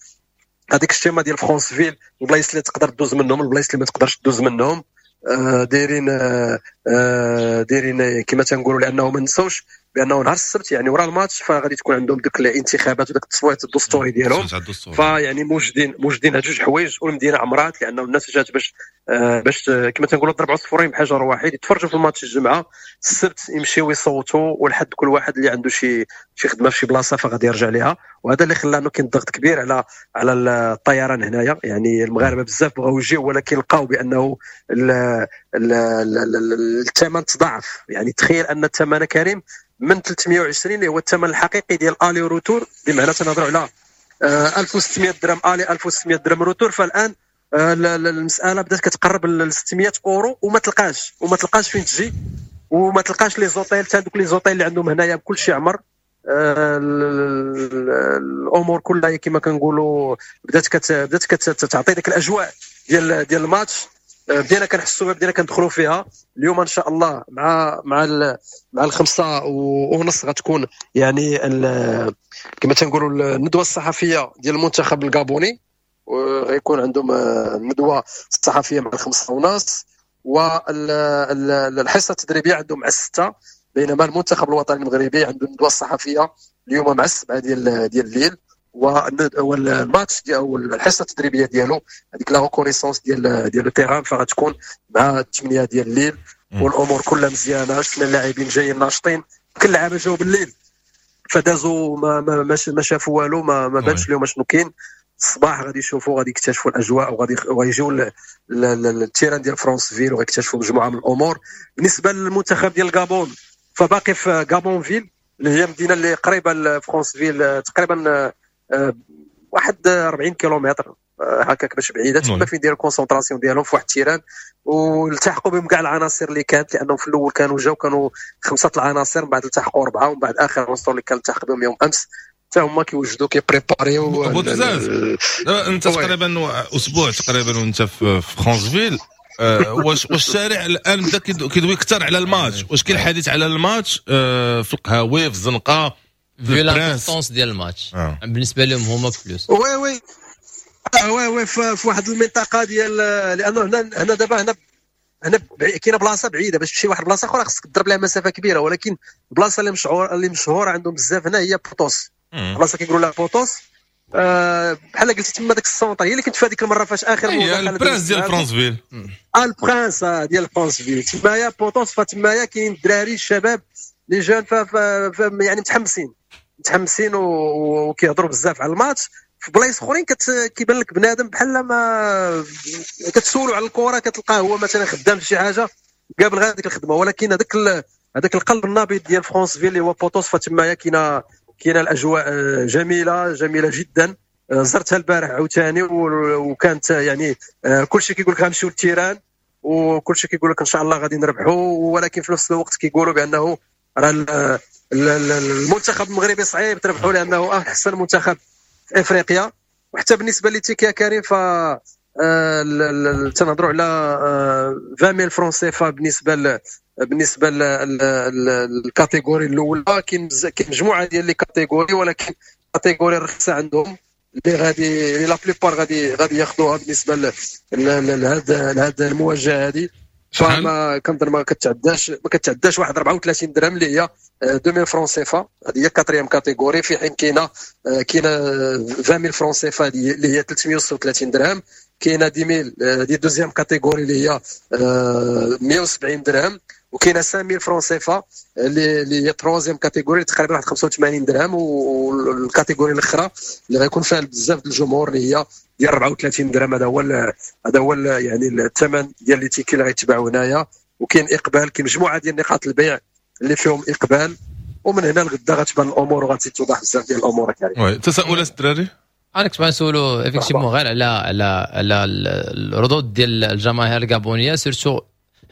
هذيك ال schéma ديال فرانسفيل، البلايص اللي تقدر دوز منهم، البلايص اللي ما تقدرش دوز منهم. دايرين كما تنقولوا، لانه ما نساوش بانه نهار السبت، يعني ورا الماتش، فغادي تكون عندهم دوك الانتخابات وداك التصويت الدستوري ديالهم. فيعني موجدين هاد جوج حوايج. والمدينة عمرات، لانه الناس جات باش كما تنقولوا ضرب عصفورين بحجر واحد، يتفرجوا في الماتش الجمعه، السبت يمشيو يصوتوا، والحد كل واحد اللي عنده شي خدمة في شي بلاصة فغادي يرجع ليها. وهذا اللي خلى انه كاين ضغط كبير على الطيران هنايا. يعني المغاربة بزاف بغاو يجيو، ولكن لقاو بانه الثمن تضاعف. يعني تخيل ان الثمن كريم من 320 اللي هو الثمن الحقيقي ديال aller retour، بمعنى تنهضروا على 1600 درهم aller، 1600 درهم retour، فالان المسالة بدات كتقرب ل 600 اورو، وما تلقاش فين تجي، وما تلقاش les hôtels، حتى دوك les hôtels اللي عندهم هنايا كلشي عمر. الامور كلها كما كنقولوا بدات كتعطي ديك الاجواء ديال الماتش. بدينا كنحسوا، بدينا كندخلوا فيها. اليوم ان شاء الله مع 5:30 غتكون يعني كما تنقولوا الندوة الصحفية ديال المنتخب الكابوني، وغيكون عندهم الندوة الصحفية مع 5:30، والحصه التدريبية عندهم مع 6، بينما المنتخب الوطني المغربي عنده الندوة الصحفية اليوم مع 7 ديال الليل، والماتش او الحصة التدريبية ديالو، هذيك la reconnaissance ديال ال terrain، فغتكون مع 8 ديال الليل. والامور كلها مزيانه، شفنا اللاعبين جايين ناشطين. كل اللعابه جاو بالليل، فدازوا ما شافوا والو، ما بانش لهم شنو كاين. الصباح غادي يشوفوا، غادي يكتشفوا الاجواء، وغادي وغيجيو لل terrain ديال فرانسفيل وغيكتشفوا مجموعة من الامور. بالنسبة للمنتخب ديال الغابون، فباقي في غابونفيل، اللي هي مدينة اللي قريبه لفرانسفيل تقريبا واحد 40 كيلومتر هكاك باش بعيده. تما فين ديروا concentration ديالهم في واحد ال terrain، والتحقوا بهم كاع العناصر اللي كانت، لانهم في الاول كانوا جاو كانوا خمسة العناصر، من بعد التحقوا اربعه، ومن بعد اخر عنصر اللي كان التحق بهم يوم امس. حتى هما كيوجدوا، كي préparer يو. بوتزاز، انت تقريبا اسبوع تقريبا وانت في فرانسفيل، واش الشارع الان بدا كيدوي اكثر على الماتش؟ واش كاين الحديث على الماتش في القهاوي، في الزنقه؟ vu l'importance ديال الماتش بالنسبة لهم هما plus. oui، في واحد المنطقة ديال، لانه هنا دابا هنا كاينه بلاصة بعيده، باش تمشي لواحد البلاصة اخرى خصك تضرب لها مسافة كبيره. ولكن البلاصة اللي مشهوره عندهم بزاف هنا هي بوتوس، بلاصة كيقولوا لها بوتوس. بحال قلتي تما داك ال centre هي اللي كنت في هذيك المرة فاش اخر هي البرانس ديال فرانسفيل. البرانس ديال فرانسفيل تمايا بوتوس. فتمايا كاين الدراري الشباب، les jeunes، ف يعني متحمسين متحمسين وكيهضروا بزاف على الماتش. في بلايص اخرين كيبان لك بنادم بحال ما كتسولوا على الكره، كتلقاه هو مثلا خدام في شي حاجه، قابل غير هذيك الخدمه. ولكن هذاك القلب النابض ديال فرانسفيل اللي هو بوتوس، فتمايا كاينه الاجواء جميله، جميلة جدا. زرتها البارح عاوتاني، وكانت يعني كلشي كيقول لك غنمشيو لل terrain، وكلشي كيقول لك ان شاء الله غادي نربحوا، ولكن في نفس الوقت كيقولوا بانه راه المنتخب المغربي صعيب تربحوا، لانه احسن منتخب في افريقيا. وحتى بالنسبة les tickets يا كريم، ف تنهضروا على 20000 francs CFA بالنسبة لل catégorie الاولى. كاين مجموعة ديال les catégories، ولكن catégorie الرخيصة عندهم اللي غادي la plupart غادي ياخذوها بالنسبة لهذا المواجهة هذه. فما كنظن ما كتعداش واحد 34 درهم اللي هي 2000 francs CFA، هذه هي quatrième catégorie. في حين كاينه 20000 francs CFA اللي هي 336 درهم، كاينه 10000 دي deuxième catégorie اللي هي 170 درهم، وكاينه 5000 francs CFA اللي هي troisième catégorie تقريبا واحد 85 درهم، وال catégorie الاخرى اللي غيكون فيها بزاف ديال الجمهور اللي هي ديال 34 درهم. هذا هو يعني الثمن ديال les tickets اللي غيتباعوا هنايا. وكاين اقبال، كاين مجموعة ديال نقاط البيع اللي فيهم اقبال، ومن هنا لغدا غتبان الامور وغتزيد توضح بزاف ديال الامور. oui، تساؤلات الدراري؟ انا كنت نسولو effectivement غير على على على الردود ديال الجماهير الكابونيه، surtout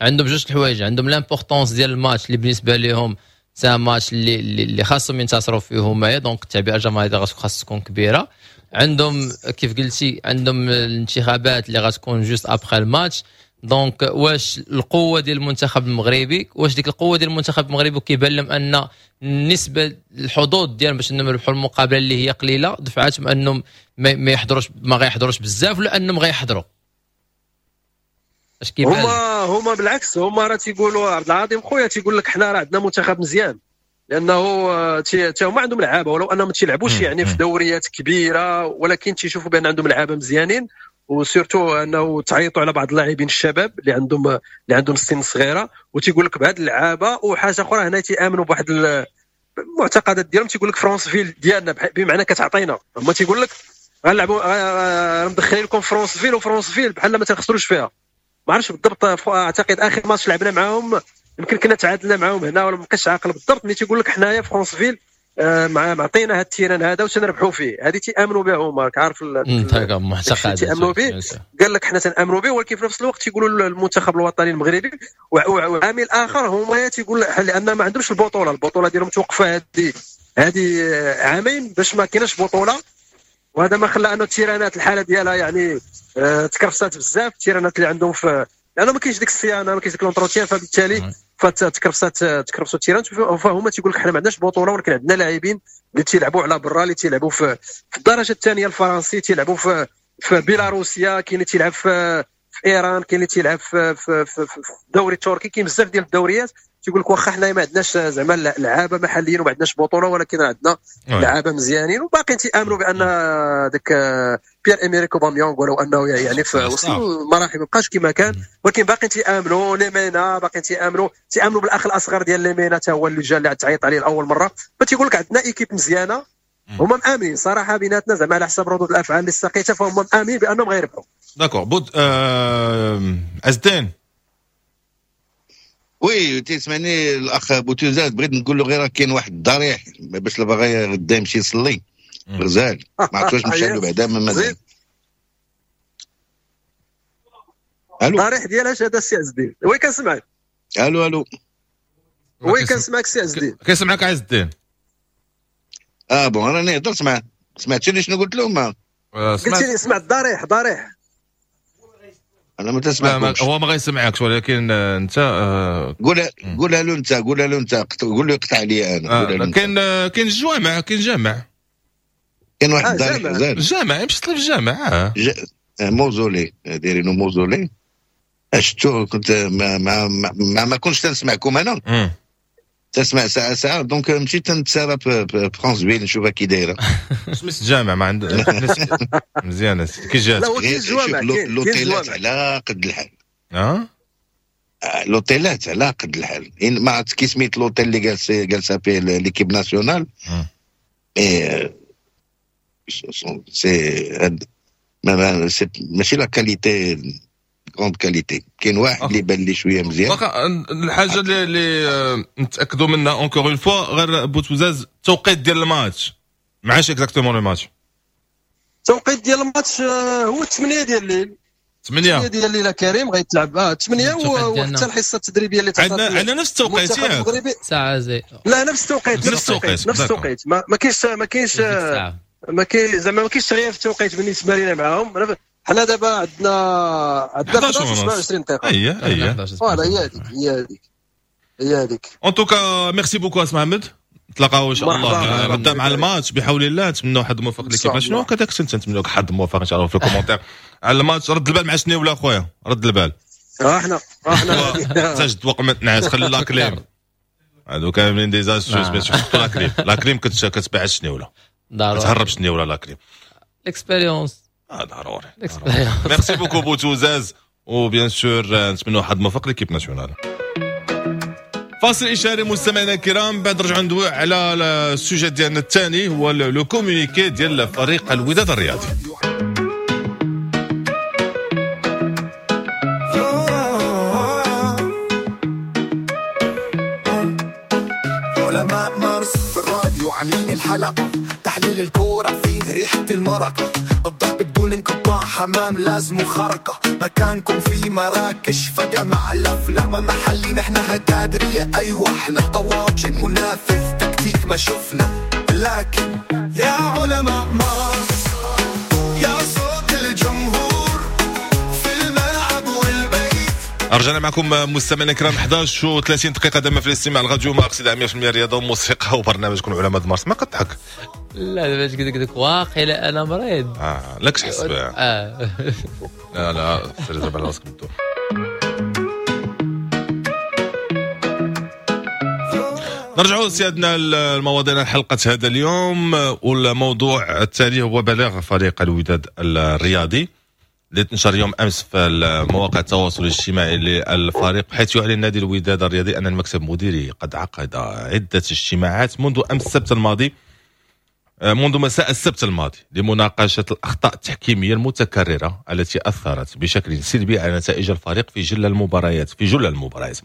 عندهم جوج الحوايج، عندهم l'importance ديال الماتش اللي بالنسبة لهم c'est un match اللي خاصهم ينتصروا فيه هما، donc التعبئه الجماهيرية خاص تكون كبيرة. عندهم كيف قلتي عندهم الانتخابات اللي غتكون juste après الماتش، donc واش القوة ديال المنتخب المغربي، واش ديك القوة ديال المنتخب المغربي كيبان لهم ان النسبة الحظوظ ديالهم باش انهم يربحوا المقابلة اللي هي قليله دفعتهم انهم ما يحضروش، ما غيحضروش بزاف، ولا انهم غيحضروا؟ اش كيبان هما بالعكس، هما راه تيقولوا عبد العظيم خويا تيقول لك حنا راه عندنا منتخب مزيان، لانه تا هما عندهم لعابه ولو انهم ما تيلعبوش يعني في دوريات كبيرة، ولكن تيشوفوا بان عندهم لعابه مزيانين، و surtout انه تعيطوا على بعض اللاعبين الشباب اللي عندهم السن صغيرة، وتيقول لك بهاد اللعابه. وحاجه اخرى هنا تيامنوا بواحد المعتقدات ديالهم، تيقول لك فرانسفيل ديالنا بمعنى كتعطينا، هما تيقول لك غنلعبوا مدخلين لكم فرانسفيل، وفرانسفيل بحال ما تنخسروش فيها. ما عرفتش بالضبط، اعتقد اخر ماتش لعبنا معاهم يمكن كنا تعادلنا معاهم هنا ولا ما بقيتش عاقل بالضبط، ملي تيقول لك حنايا فرانسفيل معطينا هاد ال terrain هذا وتنربحوا فيه، هذه تيامنوا بها هما، راك عارف المعتقد تيامنوا به، قال لك حنا تنامنوا به، ولكن في نفس الوقت تيقولوا المنتخب الوطني المغربي. وعامل اخر هما تيقول لان ما عندهمش البطولة ديالهم توقفه هذه عامين باش ما كايناش بطوله، وهذا ما خلى انه التيرانات الحالة ديالها يعني تكرفسات بزاف، التيرانات اللي عندهم في لانه ما كاينش ديك الصيانة، ما كاينش ديك l'entretien، فبالتالي فتكرفسوا التيرانات. فهما تيقول لك حنا ما عندناش بطوله، ولكن عندنا لاعبين اللي تيلعبوا على برا، اللي تيلعبوا في الدرجة الثانية الفرنسي، تيلعبوا في بيلاروسيا، كاين اللي تيلعب في ايران، كاين اللي تيلعب في الدوري التركي، كاين بزاف ديال الدوريات. تيقول لك واخا حنا ما عندناش زعما لعابه محليين وما عندناش بطوله، ولكن عندنا لعابه مزيانين، وباقيين تيامنوا بان داك بيير اميريك اوباميونغ ولو انه يعني في وصل المراحل ما بقاش كما كان، ولكن باقيين تيامنوا ليمينا، باقيين تيامنوا بالاخ الاصغر ديال ليمينا حتى هو اللي جا اللي تعيط عليه لاول مرة. فتيقول لك عندنا équipe مزيانه، هما مامنين صراحة بيناتنا زعما على حسب ردود الافعال اللي استقيتها، فهم مامنين بانهم غيربحوا. d'accord بود ازدين. oui تسمعني الاخ بوتوزات، بغيت نقول له غير كاين واحد الضريح باش لا باغي غدا يمشي يصلي غزال، ما عرفتش واش مشى له بعدا ما مازال. الو الضريح ديال اش هذا السي عز الدين؟ oui كنسمعك. الو الو oui كنسمعك السي عز الدين. كنسمعك عز الدين. bon راني هضرت معاه، سمعتوني شنو قلت لهم؟ قلت لي سمعت الضريح ضريح. انا ما تسمعكمش. هو ما غيسمعكش، ولكن انت قولها له انت، قولها له انت، قول له يقطع عليا انا. كاين الجوامع، كاين جامع، كاين واحد الضريح غزال الجامع، يمشي يصلي في الجامع. mausolée دايرينو mausolée. شفتو كنت ما ما ما, ما كنتش تنسمعكم انا، تسمع ساعة ساعة، donc مشيت نتسارى في فرانسفيل نشوفها كي دايرة. سميت الجامع ما عند مزيانه كي جات. لوطيلات على قد الحال. لوطيلات على قد الحال، ما عرفت كي سميت لوطيل اللي جالسة فيه l'équipe nationale، mais c'est ماشي la qualité grande qualité. كاين واحد اللي بان لي شوية مزيان. الحاجة اللي نتاكدوا منها encore une fois غير بوتوزاز، التوقيت ديال الماتش معاش exactement le match؟ التوقيت ديال الماتش هو 8 ديال الليل. 8 ديال الليل كريم غيتلعب 8، وحتى الحصة التدريبية اللي عندنا نفس التوقيت ياك؟ ساعة زي لا نفس التوقيت، نفس التوقيت، ما كاينش ما كاين زعما ما كاينش تغيير في التوقيت بالنسبة لنا معاهم. حنا دابا عندنا 11 دقيقة. اييه voilà هي هذيك هي هذيك هي هذيك. en tout cas merci beaucoup اس محمد، نتلاقاو ان شاء الله غدا مع الماتش بحول الله. نتمنوا حظ موفق l'équipe nationale، كذاك نتمنوا لك حظ موفق ان شاء الله في ال commentaire على الماتش. رد البال مع شنيوله اخويا، رد البال. احنا تجد وقت ما تنعس، خلي la clim هادو كاملين des astuces باش تحط la clim. la clim كتبعد شنيوله، كتهرب شنيوله la clim. l'expérience ضروري. merci beaucoup بوتوزاز، و bien sûr نتمنوا حظ موفق l'équipe nationale. فاصل اشاري مستمعينا الكرام، بعد نرجعوا ندوي على ال sujet ديالنا الثاني هو le communiqué ديال فريق الوداد الرياضي. علماء مارس في الراديو عاملين الحلقة، تحليل الكورة فيه ريحة المرقة، الضرب بدون انقطاع، حمام لازم خرقة، مكانكم في مراكش فجمع الأفلام محلي، نحن هتادرية أيوة احنا طواجن منافذ تكتيك ما شفنا، لكن يا علماء مارس يا صوت الجمهور في الملعب والبيت. رجعنا معكم مستمعينا الكرام 11:30 دقيقة دائما في الاستماع الراديو مارس 100% رياضة وموسيقى وبرنامجكم علماء مارس. ما كتضحك؟ لا دابا قلت لك واقيلا انا مريض. لا كتحس بها. لا لا سير ضرب على راسك بالدور. نرجعوا سيادنا المواضيع حلقة هذا اليوم، والموضوع التالي هو بلاغ فريق الوداد الرياضي اللي تنشر يوم امس في مواقع التواصل الاجتماعي للفريق، حيث يعلن نادي الوداد الرياضي ان المكتب المديري قد عقد عدة اجتماعات منذ امس السبت الماضي، منذ مساء السبت الماضي، لمناقشة الأخطاء التحكيمية المتكررة التي أثرت بشكل سلبي على نتائج الفريق في جل المباريات.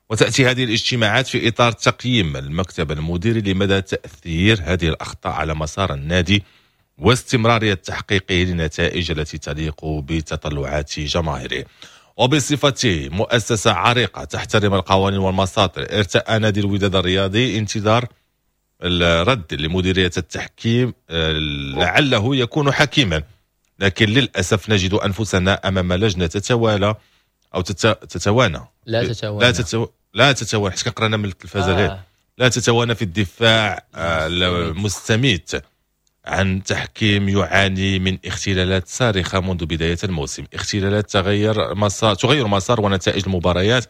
وتأتي هذه الاجتماعات في إطار تقييم المكتب المديري لمدى تأثير هذه الأخطاء على مسار النادي واستمرارية تحقيقه للنتائج التي تليق بتطلعات جماهيره. وبصفته مؤسسة عريقة تحترم القوانين والمساطر، ارتأى نادي الوداد الرياضي انتظار الرد لمديرية التحكيم لعله يكون حكيما، لكن للأسف نجد أنفسنا أمام لجنة تتوالى أو تتوانى لا تتوانى حيت كنقرانا من التلفازة لا تتوانى في الدفاع المستميت عن تحكيم يعاني من اختلالات صارخة منذ بداية الموسم، اختلالات تغير مسار ونتائج المباريات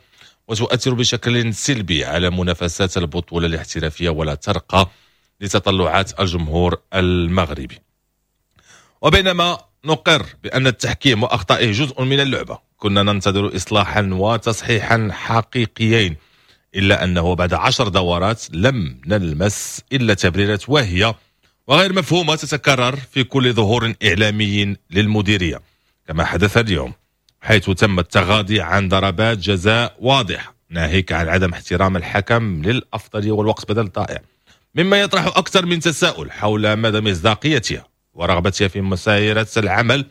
وتؤثر بشكل سلبي على منافسات البطولة الاحترافية ولا ترقى لتطلعات الجمهور المغربي. وبينما نقر بأن التحكيم وأخطائه جزء من اللعبة، كنا ننتظر إصلاحا وتصحيحا حقيقيين، إلا أنه بعد 10 دورات لم نلمس إلا تبريرات واهية وغير مفهومة تتكرر في كل ظهور إعلامي للمديرية، كما حدث اليوم حيث تم التغاضي عن ضربات جزاء واضحة، ناهيك عن عدم احترام الحكم للأفضلية والوقت بدل الضائع، مما يطرح أكثر من تساؤل حول مدى مصداقيتها ورغبتها في مسايرة العمل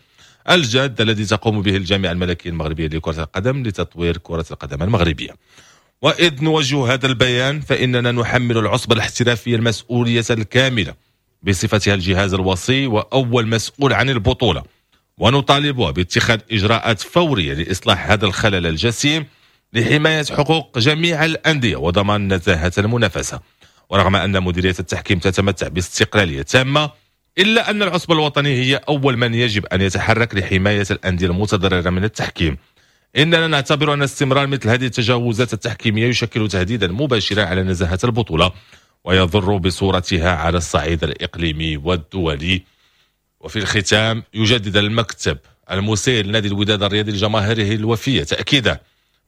الجاد الذي تقوم به الجامعة الملكية المغربية لكرة القدم لتطوير كرة القدم المغربية. وإذ نوجه هذا البيان فإننا نحمل العصبة الاحترافية المسؤولية الكاملة بصفتها الجهاز الوصي وأول مسؤول عن البطولة، ونطالبها باتخاذ إجراءات فورية لإصلاح هذا الخلل الجسيم لحماية حقوق جميع الأندية وضمان نزاهة المنافسة. ورغم أن مديرية التحكيم تتمتع باستقلالية تامة، إلا أن العصبة الوطنية هي أول من يجب أن يتحرك لحماية الأندية المتضررة من التحكيم. إننا نعتبر أن استمرار مثل هذه التجاوزات التحكيمية يشكل تهديدا مباشرا على نزاهة البطولة ويضر بصورتها على الصعيد الإقليمي والدولي. وفي الختام يجدد المكتب المسير لنادي الوداد الرياضي لجماهيره الوفية تأكيدا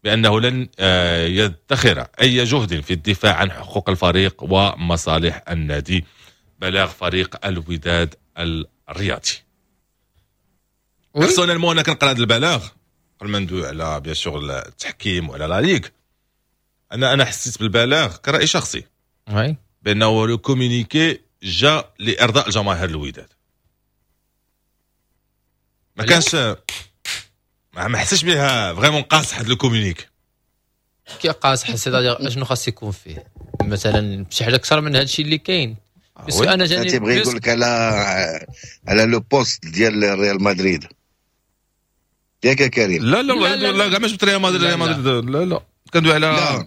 بأنه لن يدخر أي جهد في الدفاع عن حقوق الفريق ومصالح النادي. بلاغ فريق الوداد الرياضي. personnellement انا كنقرا هذا البلاغ قبل ما ندوي على bien sûr التحكيم وعلى la ligue، انا حسيت بالبلاغ كرأي شخصي بانه le communiqué جا لارضاء الجماهير الوداد. ما كانش ما حسيتش بها vraiment قاصح هذا le communiqué. كي قاصح c'est-à-dire اشنو خاص يكون فيه مثلا شي حاجة اكثر من هذا الشيء اللي كاين. بس انا جاني تيبغي يقول لك على le poste ديال ريال مدريد. ياك يا كريم؟ لا لا لا لا كاع ما جبت ريال مدريد، ريال مدريد لا لا، كندوي على لا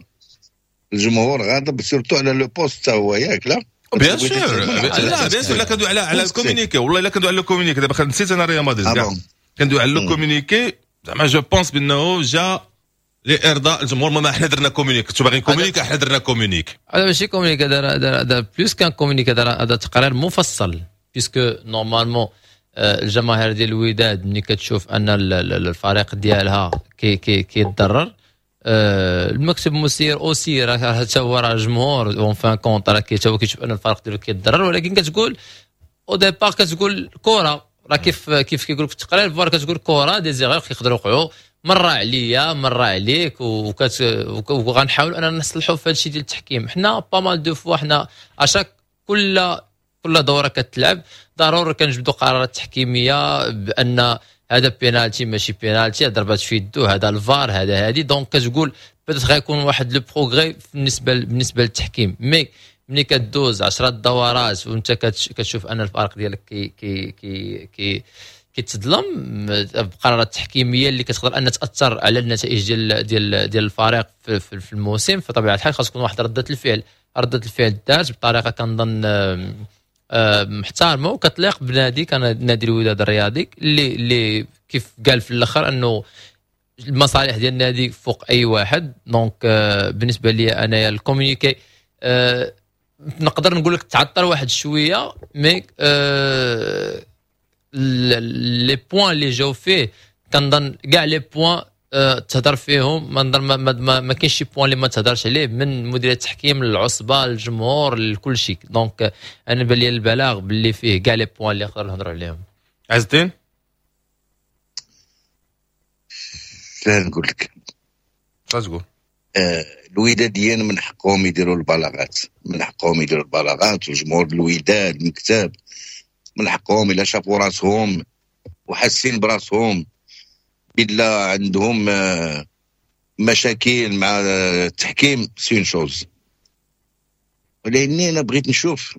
الجمهور غاضب surtout على le poste حتى هو، ياك؟ لا bien sûr، لا bien sûr، لا كندوي على ال communiqué، والله الا كندوي على ال communiqué. دابا نسيت انا ريال مدريد كاع، كندوي على le communiqué. زعما je pense بانه جا لارضاء الجمهور. ما حنا درنا communiqué، كنتو باغيين communiqué، حنا درنا communiqué. هذا ماشي communiqué، هذا plus qu'un communiqué، هذا تقرير مفصل، puisque normalement الجماهير ديال الوداد ملي كتشوف ان الفريق ديالها كي كي كيتضرر، المكتب المسير aussi راه حتى هو راه جمهور en fin de compte، راه حتى هو كيشوف ان الفريق ديالو كيتضرر. ولكن كتقول au départ كتقول كره، راه كيف كيقول في التقرير، voilà، كتقول كره، des erreurs كيقدروا يوقعوا، مرة عليا مرة عليك، وغنحاول اننا نصلحوا في هذا الشيء ديال التحكيم. حنا pas mal de fois، حنا à chaque كل دوره كتلعب ضروري كنجبدوا قرارات تحكيميه بان هذا بينالتي ماشي بينالتي، ضربات في يدو، هذا الفار، هذا هادي. donc كتقول peut-être غيكون واحد le progrès بالنسبه للتحكيم، mais ملي كدوز 10 دورات وانت كتشوف ان الفريق ديالك كي كي كي كي كيتظلم بقرارات تحكيميه اللي كتقدر ان تاثر على النتائج ديال الفريق في الموسم، فطبيعه الحال خاص تكون واحد رده الفعل. رده الفعل دارت بطريقة كنظن محترمه وكتليق بنادي كان نادي الوداد الرياضي، اللي كيف قال في الاخر انه المصالح ديال النادي فوق اي واحد. donc بالنسبة لي انايا ال communiqué نقدر نقول لك تعطل واحد شويه، mais les points اللي جاو فيه كنظن كاع les points تهضر فيهم، ما نظن ما كاينش شي point اللي ما تهضرش عليه، من مديرية التحكيم للعصبه للجمهور لكل شيء. donc انا بان لي البلاغ باللي فيه كاع les points اللي نقدر نهضروا عليهم. عز الدين. لا نقول لك. تقول. الوداديين من حقهم يديروا البلاغات، من حقهم يديروا البلاغات، وجمهور الوداد المكتب من حقهم الا شافوا راسهم وحاسين براسهم بلا عندهم مشاكل مع التحكيم، c'est une chose. ولاني انا بغيت نشوف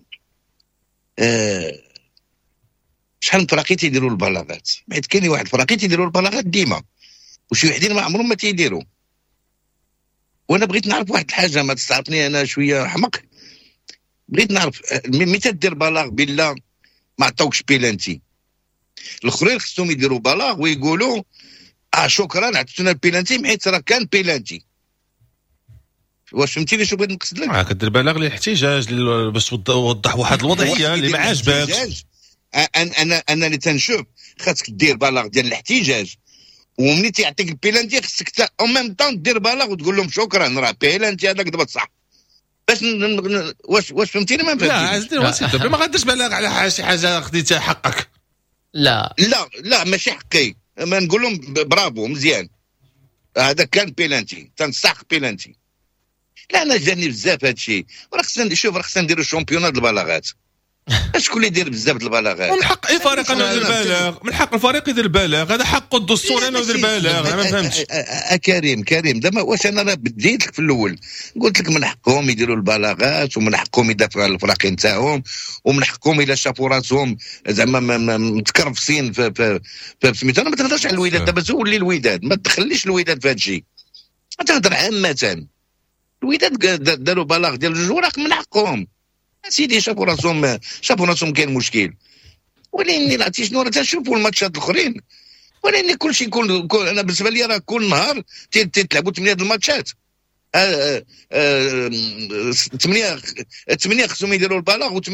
شحال من فراقي تيديروا البلاغات، حيت كاين واحد الفراقي تيديروا البلاغات ديما وشي وحدين ما عمرهم ما تيديروا. وانا بغيت نعرف واحد الحاجه، ما تستعرفني انا شوية حمق، بغيت نعرف ملي تدير بلاغ بالله ما عطاوكش بيلانتي، الاخرين خصهم يديروا بلاغ ويقولوا شكرا عطيتونا البيلانتي حيت راه كان بيلانتي. واش فهمتيني شنو بغيت نقصد لك؟ كدير بلاغ للاحتجاج باش توضح واحد الوضعية اللي ما عاجباكش. انا اللي تنشوف خاصك دير بلاغ ديال الاحتجاج، ومني تيعطيك البيلانتي خصك en même temps دير بلاغ وتقول لهم شكرا راه بيلانتي هذاك دابا صح. باش واش فهمتيني؟ ما فهمتينيش. لا عزيزي وسيط ما غاديش بلاغ على شي حاجة خديتها حقك. لا لا لا ماشي حقي، ما نقول لهم برافو مزيان هذا كان بيلانتي تنستحق بيلانتي. لا انا جاني بزاف هذا الشيء، وراه خصنا نشوف، راه خصنا نديروا championnat البلاغات. شكون اللي يدير بزاف البلاغات؟ من حق اي فريق انه يدير بلاغ، من حق الفريق يدير بلاغ، هذا حقه الدستوري انه يدير بلاغ. انا ما فهمتش كريم، كريم دابا واش انا راه بديت لك في الاول قلت لك من حقهم يديروا البلاغات ومن حقهم يدافعوا على الفراقين تاعهم ومن حقهم الا شافوا راسهم زعما متكرفسين في سميتو. انا ما تهضرش على الوداد دابا، زول لي الوداد، ما تخليش الوداد في هذا الشيء، تهضر عامة. الوداد داروا بلاغ ديال جوج وراق من حقهم سيدي، شافوا راسهم، شافوا راسهم كاين مشكل. ولكن عرفتي شنو راه تنشوفوا الماتشات الاخرين، ولكن كلشي كل انا بالنسبة لي راه كل نهار تلعبوا 8 د الماتشات، 8 خصهم يديروا البلاغ و8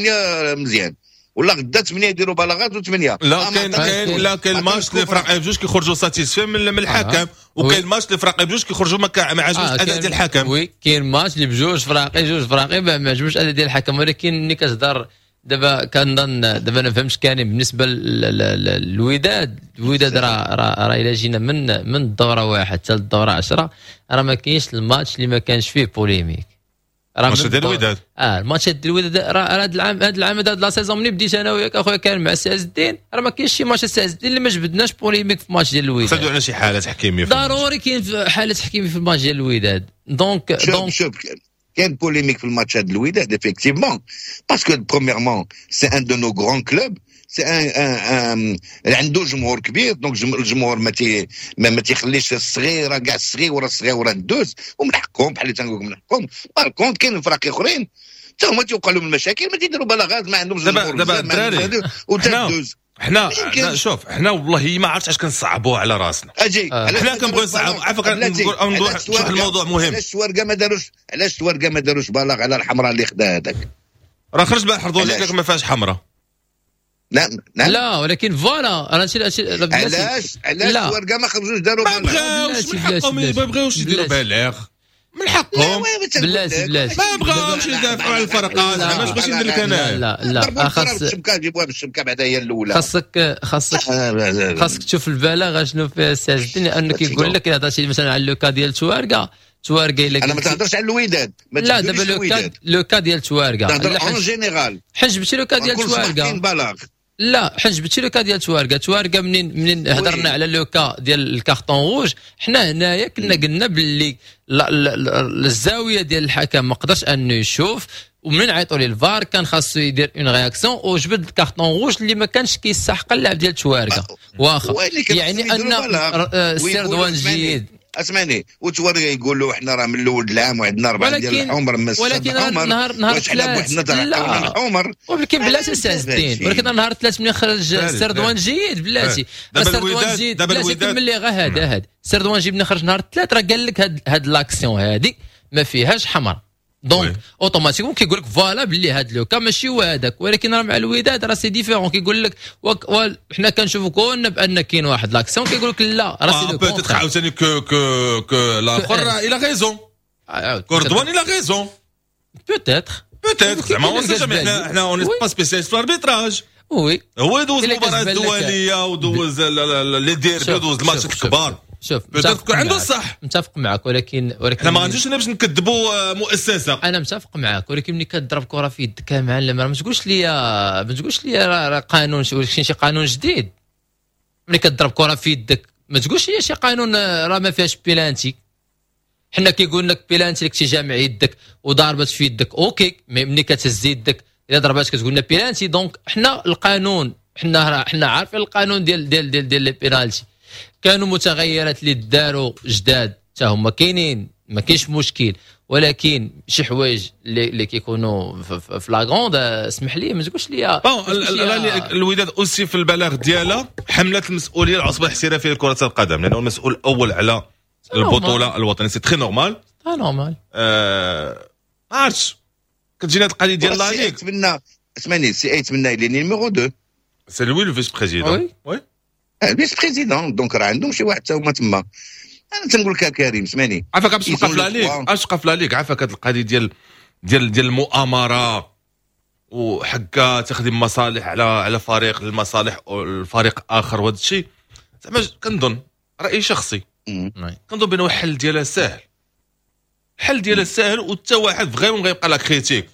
مزيان، ولا غدا 8 يديروا بلاغات و8 لا. كاين لا كاين ماتش اللي فرق بجوج كيخرجوا satisfaits من الحكم، وكاين ماتش اللي فرق بجوج كيخرجوا ما عجبوش الاداء ديال الحكم. oui كاين ماتش اللي بجوج فراقي، جوج فراقي ما عجبوش الاداء ديال الحكم. ولكن ملي كتهضر دابا كنظن دابا انا فهمت كان بالنسبة للوداد، الوداد راه الا جينا من الدورة 1 حتى للدورة 10 راه ما كاينش الماتش اللي ما كانش فيه polémique. الماتش ديال الوداد الماتش ديال الوداد راه هذا العام، هذا العام هذا la saison ملي بديت انا وياك اخويا كان مع سي عز الدين، راه ما كاينش شي ماتش سي عز الدين اللي ما جبدناش polémique في ماتش ديال الوداد. خصنا على شي حاله تحكيميه، ضروري كاين حاله تحكيميه في الماتش ديال الوداد. donc donc شوف كاين polémique في الماتش ديال الوداد effectivement، parce que premièrement c'est un de nos grands clubs. c'est un عنده جمهور كبير، donc الجمهور ما تيخليش الصغيرة كاع، الصغيرة الصغيرة ندوز، ومن حقهم، بحال اللي تنقول من حقهم. par contre كاين فرق اخرين حتى هما تيوقع لهم المشاكل، ما تيديروا بلاغات، ما عندهمش دابا دابا الدراري وتدوز. حنا شوف، حنا والله ما عرفتش علاش كنصعبوها على راسنا. اجي. حنا كنبغيو نصعب. عافاك، نقول واحد الموضوع مهم. علاش التوارقه ما داروش بلاغ على الحمراء اللي خدا هذاك؟ راه خرج البارح رضوان، لك ما فيهاش حمراء. نعم نعم. لا، ولكن voilà انا شي علاش التوارقه ما خرجوش داروا؟ ما بغاوش، من حقهم، ما بغاوش يديروا بلاغ، من حقهم. بلاتي بلاتي. ما بغاوش يدافعوا على الفرقات، ما بغيتش ندير لك انا. لا لا، خاص الشبكه، جيبوها بالشبكه بعدا هي الاولى. خاصك تشوف البلاغ شنو فيها السي عز الدين، لانه كيقول لك الا هضرتي مثلا على le cas ديال تواركا، تواركا الا انا ما تهضرش على الوداد. ما لا، دابا le cas ديال تواركا. تهضر en général. حجبتي le cas ديال تواركا. لا، حجبتي le cas ديال تواركا. تواركا منين هضرنا على le cas ديال ال carton rouge، حنا هنايا كنا قلنا باللي الزاوية ديال الحكم ما قدرش انه يشوف، ومنين عيطوا ليه الفار كان خاصو يدير une réaction وجبد ال carton rouge اللي ما كانش كيستحق اللاعب ديال تواركا. واخا يعني ان السي رضوان جيد. اسمعني، وتوري يقولوا احنا راه من الاول العام وعندنا اربعة ديال الحمر. ولكن نهار ثلاث، لا الحمر. ولكن بلاتي السي عز الدين، ولكن نهار الثلاث ملي خرج السي رضوان جيد، بلاتي السي رضوان جيد، بلاتي كمل لي غير هذا. هذا السي رضوان جيد ملي خرج نهار الثلاث راه قال لك هاد l'action هادي ما فيهاش حمر، donc automatiquement كيقول لك voilà باللي هاد le cas ماشي هو هذاك. ولكن راه مع الوداد راه c'est différent، كيقول لك حنا كنشوفوا كون بان كاين واحد l'action، كيقول لك لا راه c'est peut-être عاوتاني que الاخر il a raison، كوردوان il a raison. peut-être. peut-être، زعما on sait jamais، حنا on est pas spécialistes في l'arbitrage. oui. هو دوز المباراة الدولية ودوز les derbys ودوز الماتشات الكبار. شوف، peut-être عنده الصح. متفق معك، ولكن حنا ما غنجيش باش نكذبوا مؤسسه. انا متفق معك، ولكن ملي كتضرب كره في يدك معلم، راه ما تقولش لي راه قانون شي قانون جديد. ملي كتضرب كره في يدك ما تقولش لي شي قانون راه ما فيهاش بيلانتي. حنا كيقول لك بيلانتي لك جامع يدك وضربت في يدك، OK، mais ملي كتهز يدك الا ضربات كتقول لنا pénalty. donc حنا القانون حنا عارفين القانون ديال les pénaltys. كانوا متغيرات اللي داروا جداد حتى هما كاينين، ما كاينش مشكل، ولكن شي حوايج اللي كيكونوا flagrants، اسمح لي، ما تقولش لي. bon، الوداد aussi في البلاغ ديالها حملت المسؤولية العصبة الاحترافية لكرة القدم، لانه المسؤول الاول على البطولة الوطنيه، c'est très normal. normal. ما عرفتش، كتجينا القضية ديال la ligue. نتمنى، اسمعني، سي ايت منا il est numéro 2. c'est lui le vice-président. oui. vice-président، donc راه عندهم شي واحد حتى هما تما. انا تنقول لك كريم، اسمعني. عافاك، باش تبقى في la ligue، اش تبقى في la ligue، عافاك، هذه القضية ديال المؤامرة وحكا تخدم مصالح على فريق المصالح الفريق اخر وهذا الشيء، زعما كنظن، راي شخصي، كنظن بانه الحل ديالها ساهل، الحل ديالها ساهل، وحتى واحد vraiment غيبقى la critique.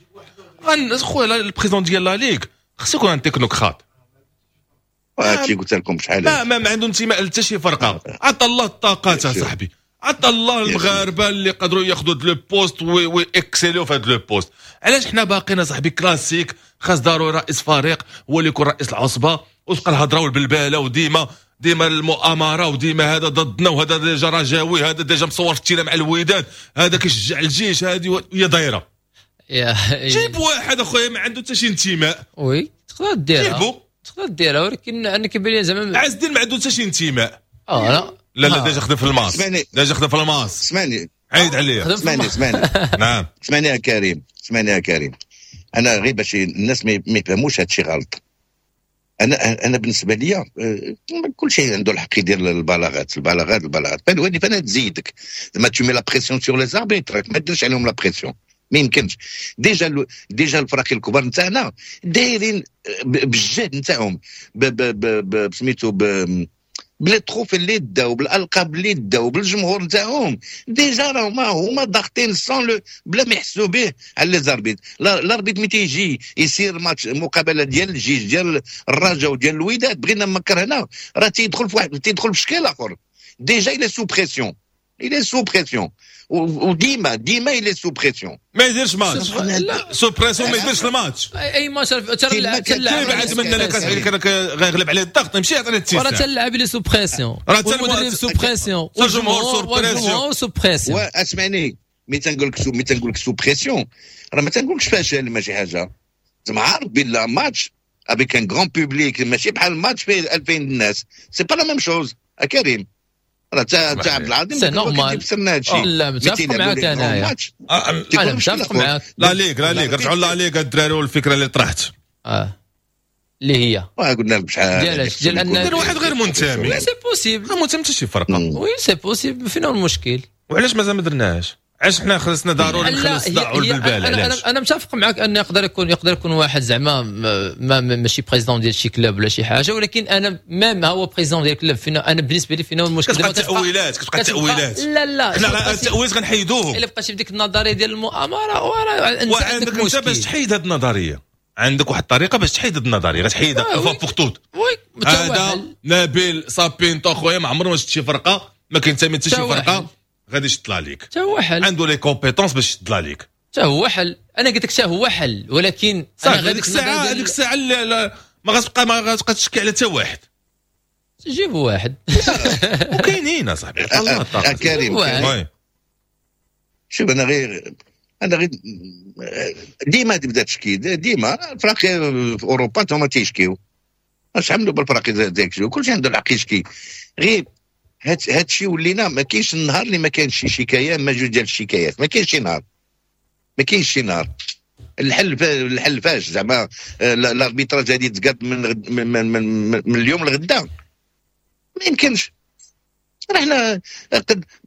خويا، ال président ديال la ligue خصو يكون un technocrate. هادشي قلت لكم شحال. ما عنده انتماء لحتى شي فرقه. عطى الله الطاقات صاحبي، عطى الله المغاربة اللي قدروا ياخذوا le poste و exceller في هذا le poste. علاش حنا باقيين صاحبي كلاسيك، خاص ضروري رئيس فريق هو اللي يكون رئيس العصبه، وتبقى الهضرة والبلباله وديما ديما المؤامرة وديما هذا ضدنا وهذا déjà رجاوي، هذا déjà مصور في ال terrain مع الوداد، هذا كيشجع الجيش، هذه هي دايره. جيب واحد اخويا ما عنده حتى شي انتماء. oui، تقدر ديرها. جيبو. تقدر ديرها، ولكن انا كيبان لي زعما عز الدين ما عنده حتى شي انتماء. اه لا. لا لا، déjà خدم في الماس. اسمعني. déjà خدم في الماس. اسمعني. عيد عليا. اسمعني اسمعني. نعم. اسمعني يا كريم، اسمعني يا كريم، انا غير باش الناس ما يفهموش هادشي غلط، انا بالنسبة لي كل شيء عنده الحق يدير البلاغات البلاغات البلاغات، فانا تزيدك زعما tu mets la pression sur les arbitres، ما ديرش عليهم la pression، ما يمكنش. déjà الفرق الكبار نتاعنا دايرين بالجهد نتاعهم، سميتو ب les trophées اللي داو، بالالقاب اللي داو، بالجمهور نتاعهم، déjà راهما هما ضاغطين sans le بلا ما يحسوا به على les arbitres. l'arbitre ملي تيجي يسير ماتش، مقابله ديال الجيش، ديال الرجاء وديال الوداد، بغينا ما كرهنا، راه تيدخل في واحد، تيدخل في شكل اخر، déjà il est sous pression. il est sous pression، وديما ديما il est sous pression. ما يديرش match sous pression، ما يديرش الماتش. اي ماتش. تبعد من اللي كان غيغلب عليه الضغط يمشي يعطينا التيساع. راه حتى اللاعب اللي sous pression، راه حتى المدرب sous pression، والجمهور sous pression. sous pression. اسمعني، ملي تنقول لك sous pression راه ما تنقولكش فاشل، ماشي حاجه، زعما عارف بلا match avec un grand public ماشي بحال ماتش فيه 2000 الناس، c'est pas la même chose. كريم راه تا عبد العظيم c'est normal. لا، متفق معاك انايا، انا متفق معاك. la ligue la ligue، رجعوا la ligue الدراري، والفكرة اللي طرحت اللي هي قلنا لك شحال ديال ديال ان واحد غير منتمي. c'est possible. ما منتمي حتى شي فرقه. oui c'est possible، فين هو المشكل؟ وعلاش مازال ما درناهاش؟ علاش حنا خلصنا ضروري نخلص الصداع والبلبال؟ علاش؟ انا متفق معك ان يقدر يكون واحد زعما ما ماشي président ديال شي club ولا شي حاجه، ولكن انا même هو président ديال club، فينا انا بالنسبة لي فينا المشكل؟ كتبقى التاويلات، كتبقى التاويلات. لا لا. حنا التاويلات غنحيدوهم. الا بقيتي بديك النظرية ديال المؤامره. وعندك انت باش تحيد هذه النظريه، عندك واحد الطريقة باش تحيد هذه النظريه، غتحيدها fois pour toutes. oui. هذا نبيل سابينتو خويا ما عمره ما شفت شي فرقه، ما كينتمي حتى شي فرقه، غادي يشد la ligue. حتى هو حل. عنده les compétences باش يشد la ligue. حتى هو حل، انا قلت لك حتى هو حل، ولكن انا هذيك الساعه ما غتبقى تشكي على حتى واحد. جيبوا واحد. وكاينين اصاحبي، الله. كريم، شوف، انا غير ديما تبدا تشكي، ديما الفرق في اوروبا هما تيشكيو، اش عملوا بالفرق ديك؟ كلشي عنده الحق يشكي. غير هاد الشيء ولينا ما كاينش النهار اللي ما كانش شي شكاية ما جوج ديال الشكايات، ما كاينش شي نهار، ما كاينش شي نهار. الحل فاش؟ زعما l'arbitrage غادي يتقاد من اليوم لغدا؟ ما يمكنش. راه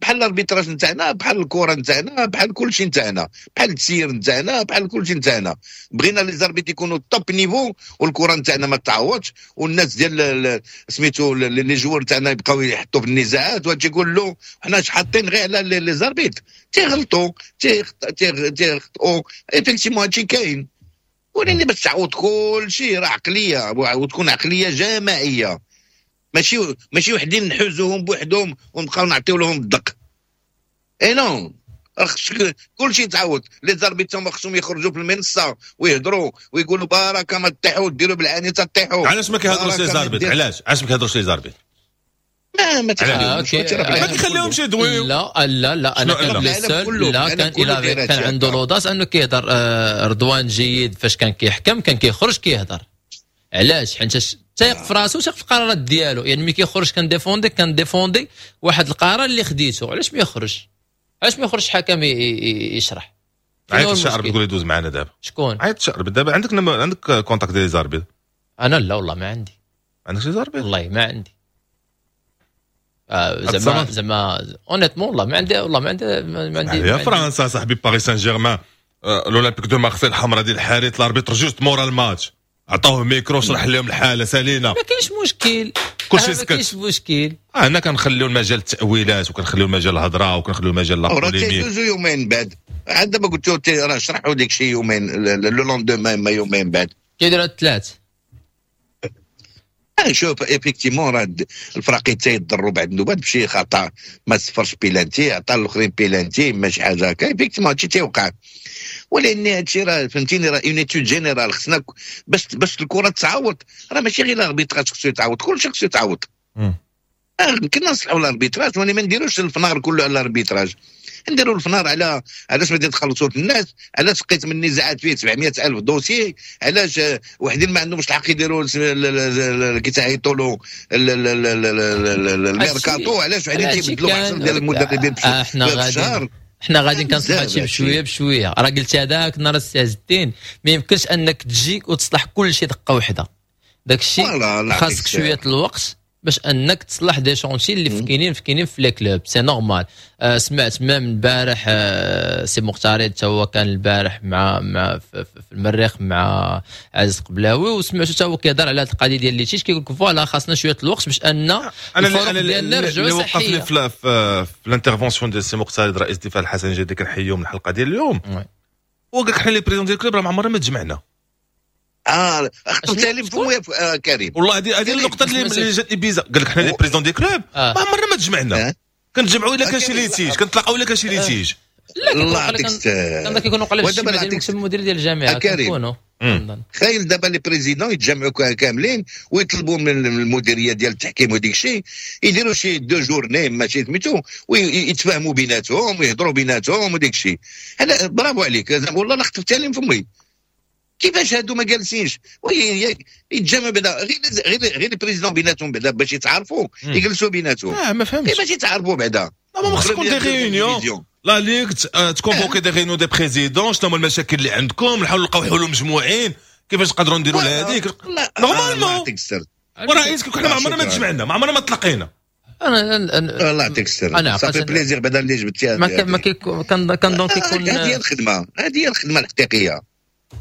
بحال l'arbitrage نتاعنا، بحال الكره نتاعنا، بحال كل شيء نتاعنا، بحال التسيير نتاعنا، بحال كل شيء نتاعنا. بغينا les arbitres يكونوا top niveau والكره نتاعنا ما تعوضش، والناس ديال سميتو les joueurs نتاعنا يبقاو يحطوا في النزاعات، وتجي يقول له حنا حاطين غير على les arbitres، تيغلطوا تيخطئوا، effectivement هادشي كاين، ولكن باش تعوض كل شيء راه عقليه، وتكون عقلية جماعيه، ماشي وحدين نحوزوهم بوحدهم ونبقاو نعطيو لهم الدق. et non، كل شيء تعاود. les arbitres هما خصهم يخرجوا في المنصة ويهضروا ويقولوا بركة ما تطيحوا، ديروا بالعاني تطيحوا. علاش ما كيهضروش les arbitres؟ علاش ما كيهضروش les arbitres؟ ما تخليهمش. ما كيخليهمش يدويو. لا لا لا، انا كان le seul، لا، كان عنده l'audace انه كيهضر. رضوان جيد فاش كان كيحكم كان كيخرج كيهضر. علاش؟ حيت تايق في راسو، تايق في القرارات ديالو. يعني ملي كيخرج كن défendre واحد القرار اللي خديته. علاش ما يخرج؟ علاش ما يخرجش حكم يشرح؟ عيط الشعر تقول يدوز معنا دابا. شكون؟ عيط الشعر دابا. عندك contact ديال les arbitres؟ انا لا والله ما عندي. عندك les arbitres؟ والله ما عندي. زعما honnêtement والله ما عندي، والله ما عندي، ما عندي. يا فرنسا صاحبي، باريس سان جيرمان l'Olympique de Marseille، الحمراء ديال الحارث، l'arbitre juste مورا الماتش عطاوه ميكرو، شرح لهم الحاله، سالينا. ما كاينش مشكل. كلشي سكت. ما كاينش مشكل. هنا كنخليو المجال التاويلات وكنخليو المجال الهضرة وكنخليو المجال la polémique. تيدوزو يومين بعد، عاد دابا قلت راه شرحوا ديك شي يومين، le lendemain ما يومين بعد. كيديروا الثلاث. شوف، effectivement راه الفراقي تيضروا بعد النوبات بشي خطا، ما صفرش بيلانتي، عطى الاخرين بيلانتي، ماشي حاجة هكا. effectivement هادشي تيوقع، ولكن هادشي راه فهمتيني راه une étude générale خصنا باش الكره تعوض. راه ماشي غير l'arbitrage خصو يتعوض، كلشي خصو يتعوض. يمكن نصلحوا l'arbitrage ولكن ما نديروش الفنار كله على l'arbitrage، نديروا الفنار على علاش ما تخلصوا الناس، علاش لقيت من النزاعات فيه 700 الف dossier، علاش وحدين ما عندهمش الحق يديروا كي تعيطوا له الميركاتو، علاش وحدين تيبدلوا 10 ديال المدربين في الشهر. حنا غادي كنصلح هادشي بشوية بشويه. راه قلت هذاك النهار السي عز الدين، ما يمكنش انك تجي وتصلح كل شيء دقه واحده. داك الشيء خاصك شوية الوقت باش انك تصلح des chantiers اللي كاينين في les clubs، c'est normal. سمعت même البارح سي مختاري حتى هو كان البارح مع في المريخ مع عزيز قبلاوي، وسمعت حتى هو كيهضر على هذه القضية ديال les litiges، كيقول لك voilà خاصنا شوية الوقت باش ان انا ديالنا نرجعوا. اللي وقفني في l'intervention ديال سي مختاري رئيس الدفاع الحسني الجديدي، كنحييهم من الحلقة ديال اليوم، هو قال لك حنا les présidents ديال ال club راه ما عمرنا ما تجمعنا. اخترت لي فمي كريم. والله هذه النقطة اللي جاتني bizarre، قال لك حنا les présidents des clubs ما عمرنا ما تجمعنا. كنتجمعوا الا كان شي litige، كنتلاقاو الا كان شي litige. لا الله يعطيك كان كيكونوا قليل ودابا في المدير ديال الجامعة كيكونوا. تخيل دابا les présidents يتجمعوا كاملين ويطلبوا من المديرية ديال التحكيم وديك الشيء يديروا شي deux journées ماشي سميتو، ويتفاهموا بيناتهم ويهضروا بيناتهم وديك الشيء. انا برافو عليك والله لا خطفتها لي من فمي. كيفاش هادو ما جالسينش يتجمعوا بعدا غير les présidents بيناتهم بعدا باش يتعارفوا، يجلسوا بيناتهم. ما فهمتش كيفاش يتعارفوا بعدا. ما خص تكون des réunions la ligue ت convoquer des réunions des présidents، شنو هما المشاكل اللي عندكم، نحاولوا نلقاو حلول مجموعين كيفاش نقدروا نديروا لهذيك normalement. ورئيس حنا ما عمرنا ما تجمعنا، ما عمرنا ما تلاقينا. انا الله يعطيك السر، ça fait plaisir بعدا اللي جبتيها. ما كنظن كيكون هذه هي الخدمة، هذه هي الخدمة الحقيقية.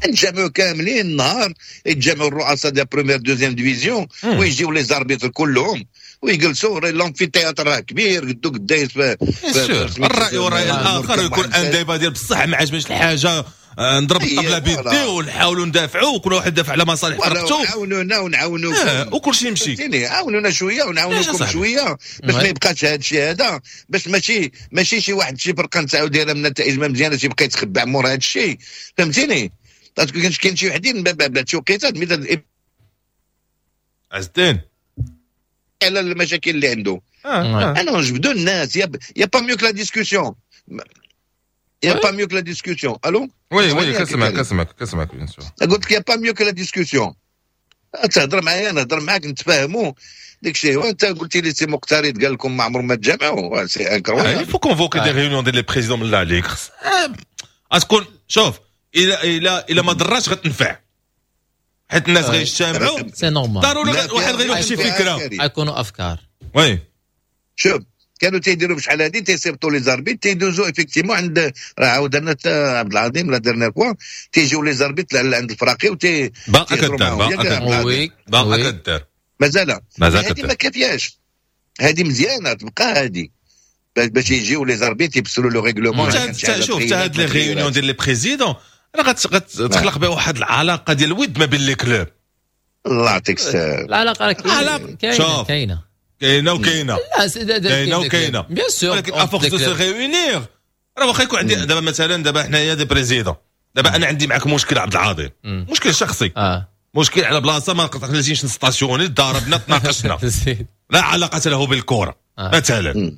نتجمعوا كاملين النهار، يتجمعوا الرؤساء ديال première deuxième division ويجيو les arbitres كلهم ويجلسوا. l'amphithéâtre راه كبير قدو قدايس الراي والراي الاخر، يكون un débat ديال بصح ما عجبنيش الحاجة نضرب الطبلة بيدي ونحاولوا ندافعوا، وكل واحد يدافع على مصالح فرقته. عاونونا ونعاونوكم وكل شيء يمشي. عاونونا شوية ونعاونوكم شوية باش ما يبقاش هذا الشيء هذا، باش ماشي شي واحد شي فرقه نتاعو دايرة من النتائج ما مزيانه يبقى يتخبع مور هذا الشيء، فهمتيني؟ parce que كاين شي وحدين بلا شي وقيتات مثل عز الدين على المشاكل اللي عنده. انا نجبدو الناس، y a pas mieux que la discussion، y a pas mieux que la discussion. الو oui oui كنسمعك كنسمعك كنسمعك bien sûr. قلت لك y a pas mieux que la discussion، تهضر معايا نهضر معاك نتفاهموا داك الشيء. وانت قلتي لي سي مقترد قال لكم ما عمرهم ما تجمعوا، c'est incroyable. il faut convoquer des réunions ديال les présidents من la ligue. غتكون شوف الى الى ما ضراتش غتنفع، حيت الناس غيجتمعوا c'est normal، ضروري واحد غيلوح شي فكرة، غيكونوا افكار. oui شوف كانوا تيديروا بشحال هادي تيصيفطوا les arbitres تيدوزوا effectivement عند، راه عاودنا عبد العظيم la dernière fois تيجيو les arbitres عند الفراقي وتي باقا كدار باقا كدار مازال مازال هادي ما كافياش، هادي مزيانه تبقى هادي باش يجيو les arbitres يبسلوا le règlement. شوف حتى هاد les réunions ديال les présidents راه غتخلق بها واحد العلاقة ديال الود ما بين les clubs. الله يعطيك السلام. العلاقة راه كاينه كاينه كاينه وكاينه كاينه وكاينه bien sûr، ولكن à force de se réunir راه واخا يكون عندي دابا مثلا دابا حنايا des présidents، دابا انا عندي معاك مشكل عبد العظيم، مشكل شخصي، مشكل على بلاصة ما نقدرش ن stationner، ضاربنا تناقشنا لا علاقة له بالكرة مثلا.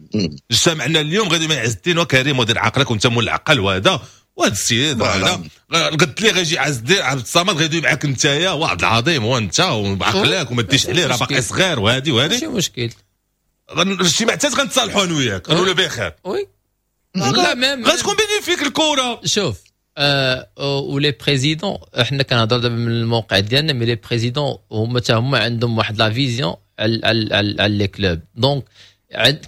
اجتمعنا اليوم غادي مع عز الدين وكريم ودير عقلك وانت مول العقل وهذا وهذا السيد هذا قلت لي غيجي عز الدين عبد الصمد غيدوي معاك نتايا وعبد العظيم وانت وبعقلك وما ديش عليه راه باقي صغير وهادي وهادي ماشي مشكل. الاجتماع حتى غنتصالحوا انا وياك غنولوا بخير. oui لا même غتكون bénéfique الكره. شوف و les présidents حنا كنهضروا دابا من الموقع ديالنا، mais les présidents هما حتى هما عندهم واحد la vision على les clubs. donc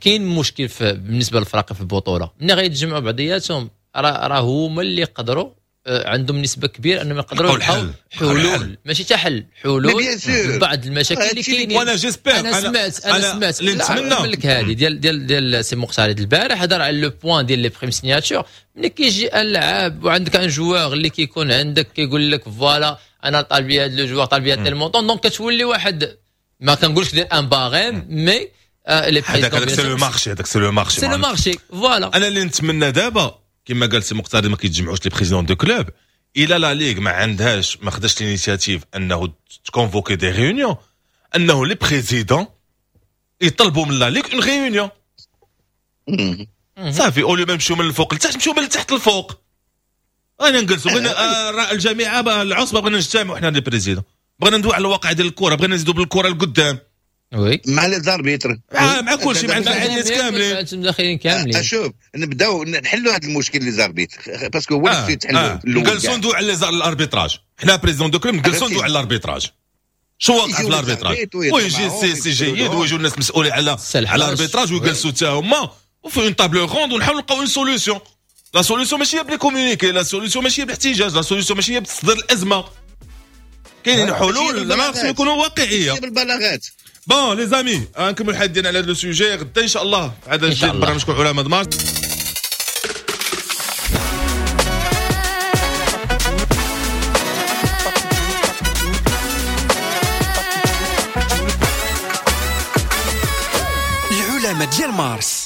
كاين مشكل بالنسبة للفرق في البطولة ملي غيتجمعوا بعضياتهم راه هما اللي يقدروا عندهم نسبه كبيرة انهم يقدروا يلقاو حلول، ماشي حتى حل، حلول بعض المشاكل اللي كاينين. وانا j'espère انا سمعت نقول لك هذه ديال ديال ديال سي مختار البارح هضر على le point ديال les primes signature. ملي كيجي اللاعب وعندك un joueur اللي كيكون عندك كيقول لك voilà انا طالب هذا le joueur طالب هذا ال montant، donc كتولي واحد ما كنقولش دير un barème mais les هذاك c'est le marché، هذاك c'est le marché، c'est le marché voilà. انا اللي نتمنى دابا كما قال سي مقتدى ما كيتجمعوش les présidents de clubs، الى la ligue ما عندهاش ما خداش l'initiative انه ت convoquer des réunions، انه les présidents يطلبوا من la ligue une réunion صافي. au lieu ما نمشيو من الفوق لتحت نمشيو من التحت للفوق. انا نجلسوا بغينا الجامعة العصبة بغينا نجتمعوا حنا les présidents، بغينا ندوي على الواقع ديال الكره، بغينا نزيدوا بالكرة لقدام. oui مع les arbitres مع كلشي مع الناس كاملين داخلين كاملين. شوف نبداو نحلوا هذا المشكل les arbitres parce que هو اللي تحلوا. نجلسوا ندوي على l'arbitrage، حنا présidents de clubs نجلسوا ندوي على l'arbitrage، شو واقع في l'arbitrage، ويجي سي جيد ويجوا الناس مسؤولين على l'arbitrage ويجلسوا حتى هما وفي une table ronde ونحاولوا نلقاو une solution. la solution ماشي هي ب les communiqués، la solution ماشي هي بالاحتجاج، la solution ماشي هي بتصدير الازمة. كاينين حلول ما خصهم يكونوا واقعية بالبلاغات. bon les amis نكملوا الحديث ديالنا على هذا le sujet غدا ان شاء الله في عدد جديد برنامجكم علماء دمار. العلماء ديال مارس.